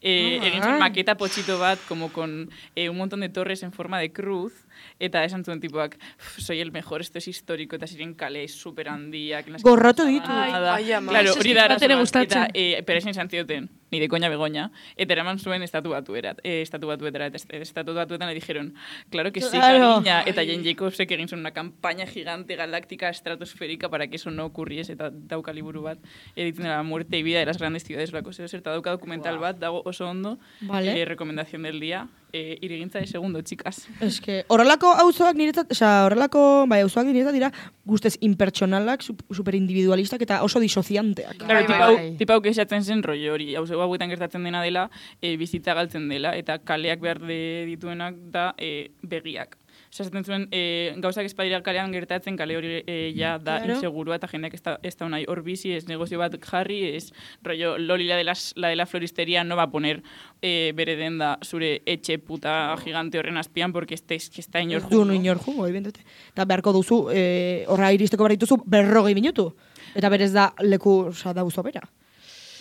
Eh, Ah. egin zuen maketa potxito bat, como con eh, un montón de torres en forma de cruz, eta esan zuen tipoak, soy el mejor, esto es histórico, eta ziren kale super handiak. Gorroto ditu. Ai, ama. Claro, hori da Bat ere arazoa. gustatzen. Eta eh, Peresen izan zioten, ni de koña begoña, eta eraman zuen estatu batuera, eh, estatu batuetara, eta est- estatu batuetan le dijeron, claro que sí, Claro. cariña, eta Jane Jacobsek egin zuen una campaña gigante galáctica estratosférica para que eso no ocurriese, eta dauka liburu bat, editzen de la muerte y vida de las grandes ciudades, olako zer, eta dauka dokumental bat, dago oso ondo, Vale. eh, recomendación del día, eh, irigintza de segundo, chicas. Es que horrelako auzoak niretzat, osea, horrelako, bai, auzoak niretzat dira guztez impertsonalak, sup- superindividualistak eta oso disocianteak. Claro, Bai, tipau, bai. tipau kexatzen zen rollo hori, hau hauetan gertatzen dena dela, e, bizitza galtzen dela, eta kaleak behar de dituenak da e, begiak. Osa, esaten zuen, e, gauzak espadira kalean gertatzen, kale hori e, ja da Claro. insegurua, eta jendeak ez da, ez da unai hor bizi, ez negozio bat jarri, ez rollo, Loli la de, las, la de la floristería no va a poner e, bere denda zure etxe puta gigante horren azpian, porque este, es que está inor Ez du inor jungo, evidentemente. Eta beharko duzu, eh, horra iristeko behar dituzu berrogei minutu. Eta berez da leku, oza, da auzo bera.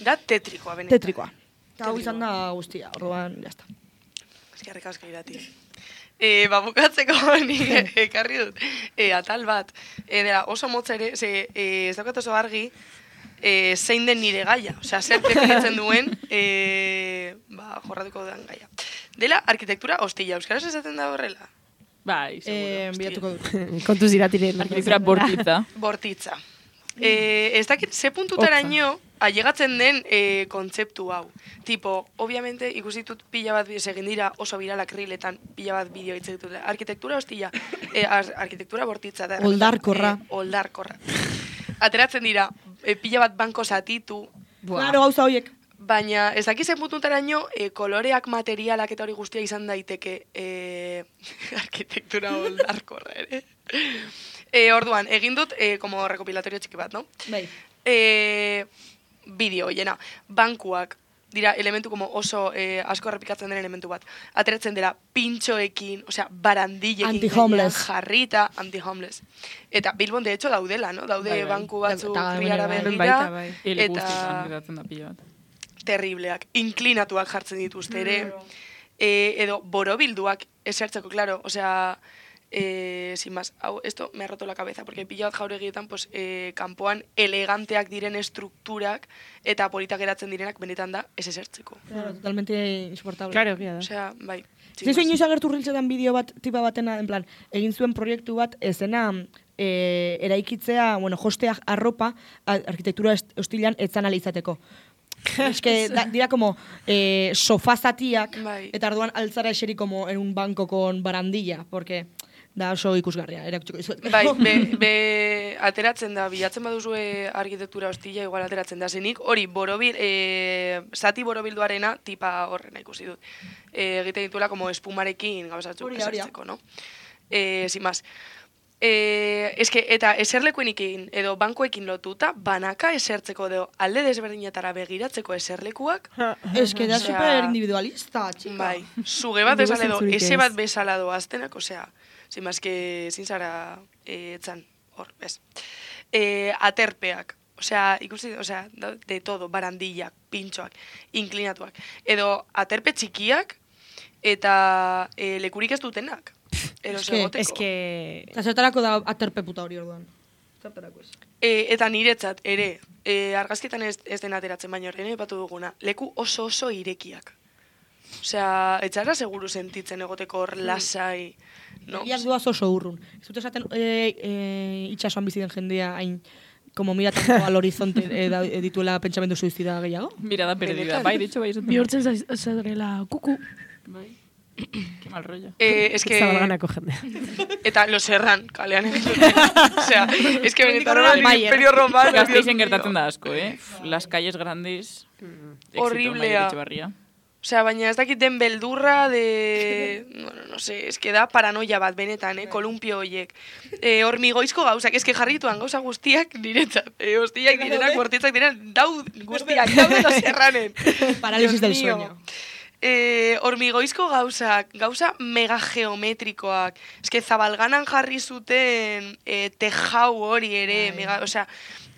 Da tetrikoa, benetan. Tetrikoa. Eta hau izan da guztia, orduan, jazta. Eskerrik asko irati. E, ba, bukatzeko ni ekarri dut. E, atal bat. E, dela, oso motza ere, ze, e, ez daukat oso argi, e, zein den nire gaia. Osea, zer definitzen duen, e, ba, jorratuko dudan gaia. Dela, arkitektura hostila. Euskaraz esaten da horrela? Bai, seguro. Eh, hostia. bilatuko dut. Kontuz iratiren. Arkitektura bortitza. Bortitza. E, ez dakit, ze puntutaraino ailegatzen den e, kontzeptu hau. Tipo, obviamente, ikusi ditut pila bat bidez egin dira oso viralak riletan pila bat bideo hitz ditut. Arkitektura hostila, e, ar, arkitektura bortitza. Da, Oldarkorra. E, oldarkorra. Ateratzen dira, e, pila bat banko zatitu, Claro, gauza horiek. baina ez dakit zen puntutaraino e, koloreak, materialak eta hori guztia izan daiteke e, arkitektura oldarkorra ere. E, orduan, egin dut, e, como rekopilatorio txiki bat, no? Bai. E, bideo, jena, bankuak, dira elementu como oso eh, asko errepikatzen den elementu bat. Ateratzen dela pintxoekin, osea, barandillekin Anti-homeless. gainean jarrita, anti-homeless. Eta Bilbon, de hecho, daudela, no? Daude Bai, bai. banku batzuk Eta- riara bai, begira, baita, bai. Ele eta guztietan gertatzen da pila bat. terribleak, inklinatuak jartzen dituzte ere, e, edo borobilduak esertzeko, claro, osea, eh, sin más, hau, esto me ha roto la cabeza, porque pila bat jauregietan, pues, eh, kanpoan eleganteak diren estrukturak eta politak geratzen direnak benetan da ez esertzeko. Claro, totalmente insoportable. Claro, egia da. Osea, bai. sin Zizu más. inoiz agertu riltzetan bideo bat, tipa batena, en plan, egin zuen proiektu bat, ezena e, eraikitzea, bueno, jostea arropa, a- arkitektura est- hostilan etzan alizateko. Es que da, dira como eh, sofazatiak, Bai. eta orduan altzara eseri como en un banco con barandilla, porque da oso ikusgarria, erakutsiko dizuet. Bai, be, be, ateratzen da, bilatzen baduzue arkitektura hostila, igual ateratzen da zenik, hori borobil, e, zati borobilduarena tipa horrena ikusi dut. E, egiten dituela como espumarekin gauzatzuk Hori da, hori da. esertzeko, no? E, sin más. E, eske, eta eserlekuenekin edo bankoekin lotuta, banaka esertzeko edo alde desberdinetara begiratzeko eserlekuak, Es que da Osea, super individualista, chica. bai, suge bat Inongo bezala edo, zentzurik ese ez. bat bezala doaztenak, osea, sin más que sin zara eh, etzan, hor, bez. Eh, aterpeak, osea, ikusi, osea, da- de todo, barandillak, pintxoak, inklinatuak, edo aterpe txikiak eta eh, lekurik ez dutenak. Eros Es que- egoteko. Es que... Eta zertarako da aterpe puta hori orduan. Zertarako ez. E, eta niretzat, ere, e, argazkietan ez, ez den ateratzen baino horren epatu duguna, leku oso oso irekiak. Osea, etxara seguru sentitzen egoteko hor lasai, no? Egiak duaz oso urrun. Ez dut esaten e, e, itxasoan bizi den jendea hain como miratan al horizonte e, da, e, dituela pentsamendu suizida gehiago. Mirada perdida. Bai, de hecho, bai, esaten. Bihurtzen zaiz- zarela kuku. Bai. Qué mal rollo. Eh, es que... Zabalganako jendea. Eta los erran, kalean egin dute. Osea, es que benetan hori Mayer. imperio romano. Dios Gasteizen mío. gertatzen da asko, eh? Las calles grandes. éxito, Horriblea. Maider Etxebarria. Osea, baina ez dakit den beldurra de... Bueno, no sé, es que da paranoia bat benetan, eh? Kolumpio hoiek. Eh, hormigoizko gauzak, es que jarrituan gauza guztiak niretzat. Eh, hostiak direnak, bortitzak direnak, daud guztiak, daude los erranen. Parálisis del Dios mío. sueño. Eh, hormigoizko gauzak, gauza mega geometrikoak. Es que Zabalganan jarri zuten eh, tejau hori ere, mega, osea,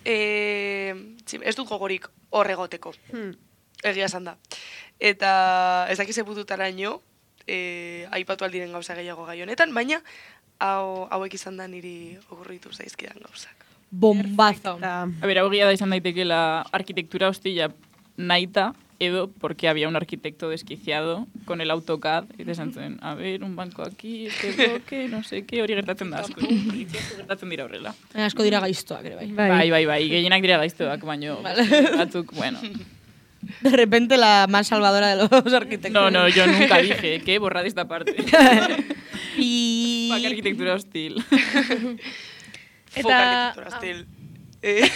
eh, txim, ez dut gogorik horregoteko. Hmm. Egia esan da. Eta ez dakize pututaraino, eh, aipatu aldiren gauza gehiago gai honetan, baina hau, hauek izan da niri okurritu zaizkidan gauzak. Bombazo. Eta... A ver, hau egia da izan daitekeela arquitectura hostila naita, edo porque había un arquitecto desquiciado con el AutoCAD, eta esan zen, a ver, un banco aquí, este bloque, no sé qué, hori gertatzen da asko. Itxiasko gertatzen dira horrela. Baina asko dira gaiztoak ere bai. Bai. Bai, bai, bai, gehienak dira gaiztoak, baino batzuk, bueno. De repente la más salvadora de los arquitectos. No, no, yo nunca dije, que borrad esta parte. Y... Fuck arquitectura hostil. Eta... Eta- Folk arkitektura stil. Eh,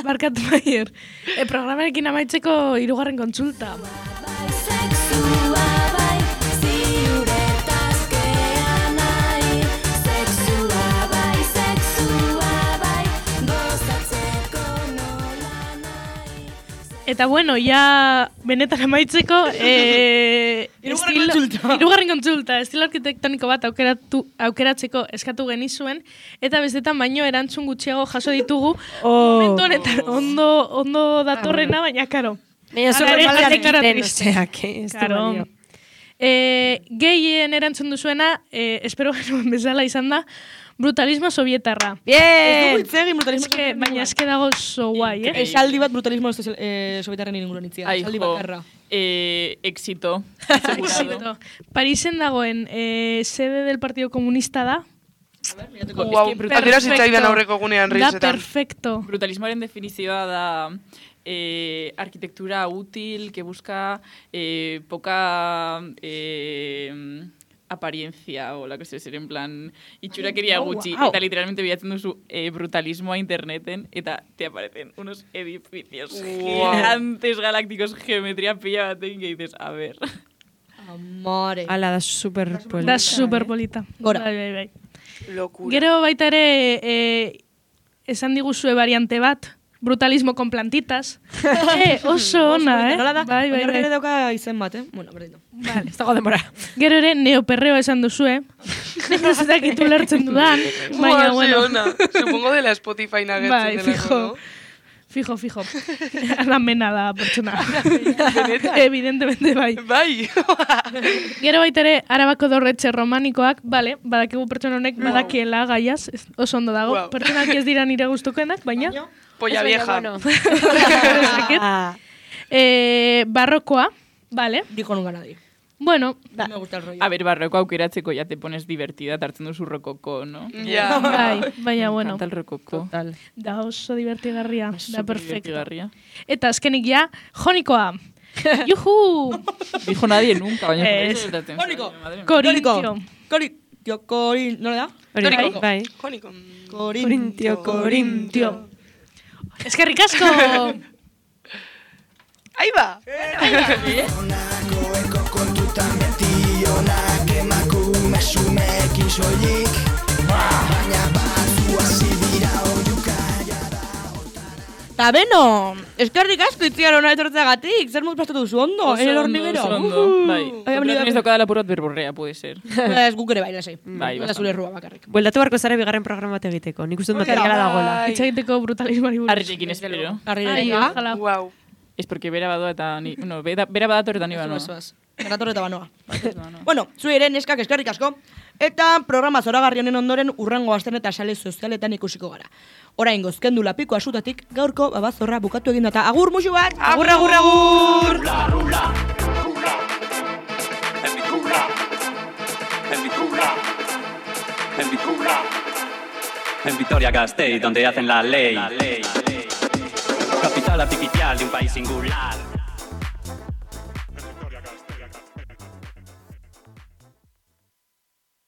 Barkatu Maier. E, programarekin amaitzeko hirugarren kontsulta. Bai sexua bai, ziuretaz gea nahi. Sexua bai, sexua bai, gozatzeko nola nahi. Eta bueno, ja benetan amaitzeko, e, Hirugarren estilo- kontsulta. hirugarren kontsulta, estilo arkitektoniko bat aukeratu, aukeratzeko eskatu genizuen, eta bestetan baino erantzun gutxiago jaso ditugu, Oh. momentu honetan ondo, ondo datorrena, baina karo. Baina zure Ara, malas deklara egiten, triste. osea, que ez du Karo. balio. E, gehien erantzun duzuena, e, espero genuen bezala izan da, brutalismo sovietarra. Ez Bien! dugu hitz egin brutalismo Eske, baina eske dago oso guai, eh? Increíble. Esaldi bat brutalismo eh, sovietarren inguruan itzia. Ai, Esaldi jo, bakarra. eh, éxito, asegurado. Éxito. Parisen dagoen eh, sede del Partido Comunista da. Guau, atera zitzaidan aurreko egunean Da reizetan. perfecto. Brutalismoaren definizioa da eh, arquitectura útil que busca eh, poca eh, apariencia o la que se en plan itxurakeria Oh, gutxi wow. eta literalmente bilatzen duzu eh, brutalismoa interneten eta te aparecen unos edificios Wow. gigantes galácticos geometría pilla batekin que dices, a ver. Amore. Ala, da super polita. Da super polita. Gora. Bai, bai, bai. Locura. Gero baita ere eh, esan diguzue variante bat, brutalismo con plantitas. eh, oso ona, eh? Nola da? Bai, bai, Baina horrek ere bai. dauka izen bat, eh? Bueno, berdin. Vale. Ez dago denbora. Gero ere neoperreo esan duzue. Ez dakitu lertzen dudan, baina Buah, ze bueno. ona. Supongo de la Spotify Bai, nagertzen delako, fijo. no? Fijo, fijo. Alamena da pertsona. Evidentemente bai. Bai. Gero baita ere, Arabako dorretxe romanikoak, bale, badakigu pertsona honek badakiela gaiaz, ez- oso ondo dago. Wow. Pertsonak ez dira nire gustukoenak, baina... Polla Ez baina, vieja. bueno. Zakit. Eh, barrokoa, vale. Dijo nunca nadie. Bueno, No me gusta el rollo. A ber, barroko aukeratzeko ya te pones divertida, tartzen duzu rokoko, no? Ja. bai, baina bueno, Kanta el rokoko. Total. da oso divertigarria, da perfecto. Divertigarria. Eta azkenik ja, jonikoa. Juhu! Dijo nadie nunca, baina Ez. gertatzen Jónico. zaio, madre mía. Corintio. Corintio, Corin... ¿No le da? Hori, bai, Toriko. bai. Joniko. Corintio, Corintio. Eskerrik asko! Ahí va. Ta beno, eskerrik asko itziar hona etortzeagatik, zer muz pastatu duzu ondo, Oso en el ondo, hormiguero. oso ondo, bai. Ai, Pero venido- tenéis tocada la purot berborrea, puede ser. Ez guk ere bai, lasai. Bai, Da bastante. zure errua bakarrik. Bueltatu barko zara bigarren programa bat egiteko. Nik uste dut Hori da, materiala dagoela. bai. Hitz egiteko brutalismoari buruz. Arrirekin espero. Arri Ai, nire. ojalá. Wow. Es porque bera badoa eta ni... No, bera, bera badator eta ni banoa. Eso, eso, Eratorre eta banoa. banoa. Bueno, zu ere neskak eskerrik asko. Eta programa zoragarri honen ondoren urrengo asten eta sale sozialetan ikusiko gara. Orain gozkendu lapiko asutatik gaurko babazorra bukatu egin data. Agur musu bat! Agur, agur, agur! Rula, rula, rula, en mi rula, en mi rula, en mi rula, en Vitoria-Gasteiz, donde hacen la ley. Capital artificial de un país singular.